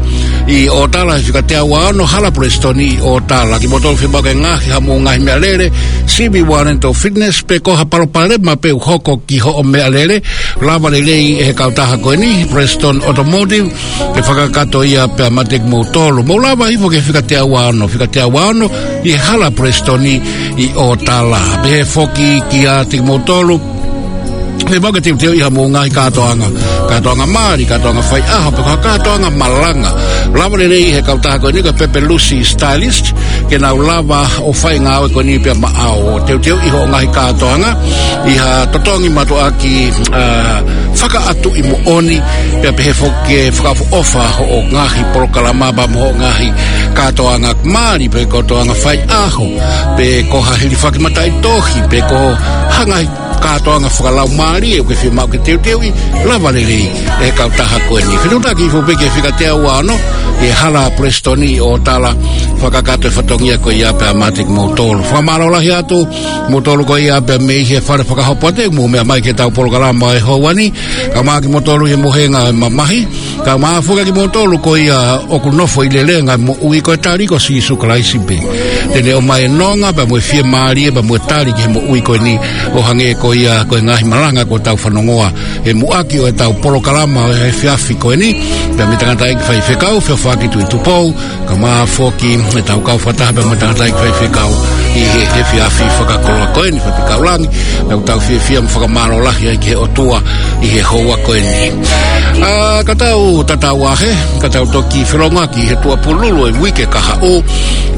ʻi ʻŌtala, fika teau ua ono Hala Prestone ʻi ʻŌtala. Kimoutolu fiemaʻu ke ngaahi haʻamou ngaahi meʻalele, sivi ua Rental Fitness, pe ko ha palopalema pē ʻoku hoko ki hoʻo meʻalele, lava lelei ʻe he kautaha ko eni, Prestone Automotive, ke fakakakato ia pea mate kimoutolu. Mou lava hifo ki he fika teau ua ono, fika teau ua ono ʻi he Hala Prestone ʻi ʻŌtala. Pehē foki kiate kimoutolu Fiemaʻu ke teuteuʻi haʻamou ngaahi kātoanga, kātoanga mali, kātoanga faiʻaho, pe ko ha kātoanga malanga. Lava lelei ʻe he kautaha ko eni ko e Pepe Lucy Stylist, ke nau lava ʻo fai e ngāue ko eni pea maʻau. Teuteuʻi hoʻo ngaahi kātoanga ʻi ha totongi mātuʻaki, ā, fakaʻatuʻi moʻoni, pea pehē foki ke fakaʻofoʻofa hoʻo ngaahi polokalama pea mo hoʻo ngaahi kātoanga mali, pe kātoanga faiʻaho, pe ko ha hilifaki mataʻitohi, pe ko ha ngaahi kātoanga fakalaumālie ʻoku ke fiemaʻu ke teuteuʻi, lava lelei ʻe he kautaha ko eni. Fetuʻutaki hifo pē ki he fika teau ua ono, ʻi he Hala Pulesitoni ʻi ʻOtala, fakakakato e fatongia ko ia pea mate kimoutolu. Fakamālō lahi atu kimoutolu ko ia pea mei he fale fakahopo ʻa e, mou meʻa mai ki heʻetau polokalama ʻo e houa ni, kae ʻumaʻā kimoutolu ʻi he mohenga ʻo e mamahi, kae ʻumaʻā foki kimoutolu ko ia ʻoku nofo ʻi he lelenga ʻo e moʻui, ko e tali ko Sīsū Kalaisi pē. Te ne ʻomai e nonga pea mo e fiemālie pea mo e tali ki he moʻui ko eni, ʻo hangē ko ia ko e ngaahi malanga kuo tau fanongoa he muʻaki ʻo ʻetau polokalama ʻo e efiafi ko eni, pea mei he tangataʻeiki faifekau, Feofoaki Tuʻitupou, kae ʻumaʻā foki ʻetau kau fakataha pea mo e tangataʻeiki faifekau ʻi he efiafi fakakoloa ko eni, Faifekau Langi, naʻa tau fiefia mo fakamālō lahi ai ki he ʻOtua ʻi he houa ko eni. Ā, ka tau tatau ā hē, ka tau toki felongoaki he tuʻapululu ʻo e uike kahaʻu,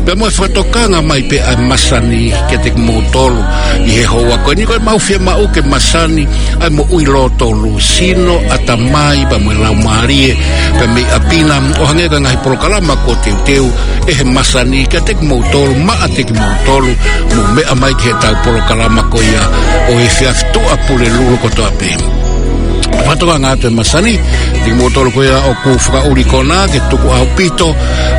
pea mo e fakatokanga mai pē ʻa e masani kiate kimoutolu ʻi he houa ko eni. Ko ʻemau fiemaʻu ke masani ʻa e moʻui lōtolu, sino, ʻatamai, pea mo e laumālie, pea mei ʻapi na, ʻo hangē ko e ngaahi polokalama kuo teuteu ʻe he masani kiate kimoutolu, maʻa ʻiate kimoutolu, mou meʻa mai ki heʻetau polokalama ko ia ʻo e efiafi, tuʻapululu kotoa pē. Fakatokanga atu e masani kiate kimoutolu ko ia ʻoku fakaʻuli kona ke tuku ʻaupito,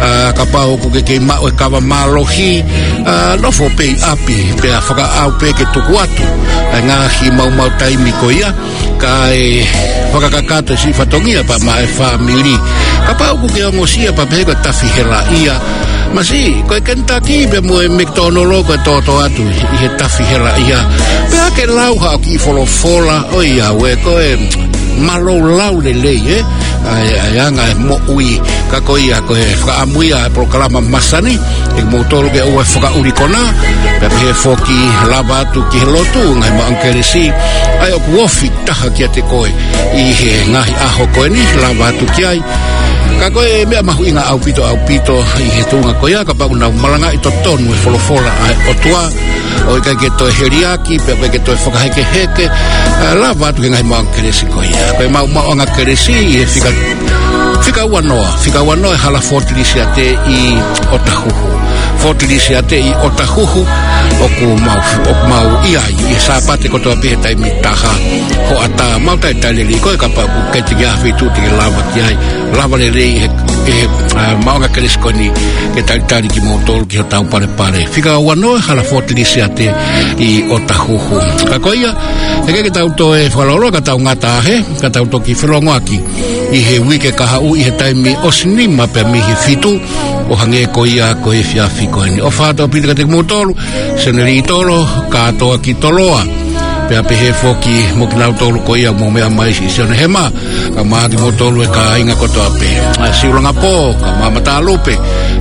ā, kapau ʻoku ke kei maʻu e kava mālohi, ā, nofo pē ʻi ʻapi, pea fakaʻau pē ke tuku atu ʻa e ngaahi maumau taimi ko ia, kae fakakakato e siʻi fatongia pea maʻa e fāmili. Kapau ʻoku ke ongosia pea pehē ko e tafi helaʻia, masiʻi, ko e Kentucky pea mo e McDonald ko e toto atu ʻi he tafi helaʻia. Pea ke lau haʻo kiʻi folofola, ʻoiauē, ko e mālōlō lelei, ē? ʻA e, ʻa e anga e moʻui. Ka ko ia, ko e fakaʻamu ia e polokalama masani, ʻe moutolu ke ʻoua ʻe fakaʻuli kona, pea pehē foki lava atu ki he lotu, ngaahi maʻu kelesi, ʻa ia ʻoku ofi taha kiate koe ʻi he ngaahi ʻaho ko eni, lava atu ki ai. Ka ko e meʻa mahuʻinga ʻaupito, ʻaupito ʻi he tuʻunga ko ia, kapau ʻoku nau malangaʻi totonu e folofola ʻa e ʻOtua, ʻo ʻikai ke toe heliaki, pea ʻikai ke toe fakahekeheke, ā, lava atu ki he ngaahi maʻuʻanga kelesi ko ia. Ko e maʻu, maʻuʻanga kelesi ʻi he fika, fika ua noa, fika ua noa e Hala Fort Lisiate ʻi ʻOtahuhu. Fort Lisiate ʻi ʻOtahuhu, ʻoku mau, ʻoku mau ʻi ai ʻi he Sāpate kotoa pē he taimi taha hoʻatā. Mau talitali lelei koe kapau ʻoku ʻikai te ke ʻi ha feituʻu te ke lava ki ai, lava lelei ʻe he, ʻe he, ā, maʻuʻanga kelesi ko eni ke talitali kimoutolu ki hotau palepale. Fika ua noa Hala Fort Lisiate ʻi ʻOtahuhu. Ka ko ia, ʻe ʻikai ke tau toe fakalōloa, ka tau ngata hē, ka tau toki felongoaki ʻi he uike kahaʻu ʻi he taimi ʻosi nima pea mei he fitu, ʻo hangē ko ia ko e efiafi ko eni. ʻOfa atu ʻaupito kiate kimoutolu, Senelī Tolo, kātoa ki Toloa. Pea pehē foki mo kinautolu ko ia mou meʻa mai ʻi Sione Hema, kae ʻumaʻā kimoutolu e kāinga kotoa pē. ʻA Siulangapō, kae ʻumaʻā Matalupe,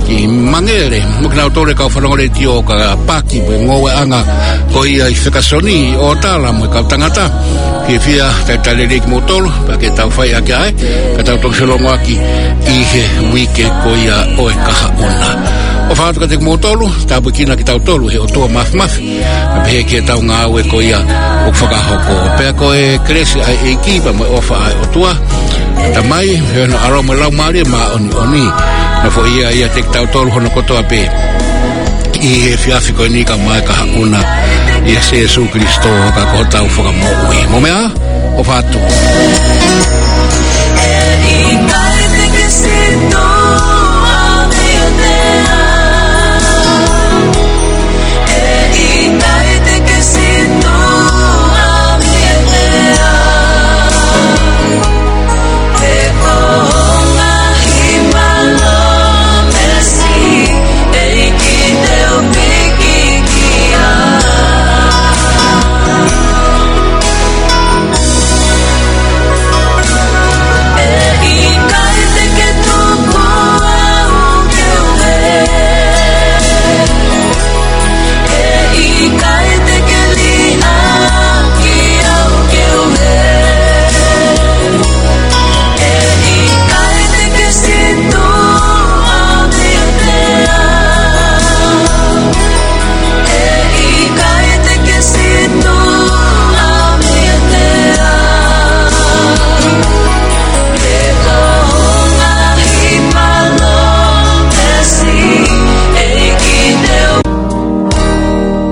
ki Mangele, mo kinautolu e kau fanongo letiō, ka paki mo e ngoueʻanga ko ia ʻi Fekasoni, ʻi ʻOtala mo e kau tangata. Fiefia, talitali lelei kimoutolu, pea ke tau fai ʻaki ʻa e, ka tau toki felongoaki ʻi he uike ko ia ʻo e kahaʻu na. ʻOfa atu kiate kimoutolu, tāpuekina kitautolu ʻe he ʻOtua Māfimafi, kae pehē ki heʻetau ngāue ko ia ʻoku fakahoko. Pea ko e kelesi ʻa e ʻEiki pea mo e ʻofa ʻa e ʻOtua, Tamai, Hena, ʻAlo mo e Laumālie Māʻoniʻoni, nofoʻia ʻiate kitautolu hono kotoa pē ʻi he efiafi ko eni kae ʻumaʻā e kahaʻu na, ʻia Sīsū Kalaisi ko hotau Fakamoʻui. Mou meʻa ā, ʻofa atu.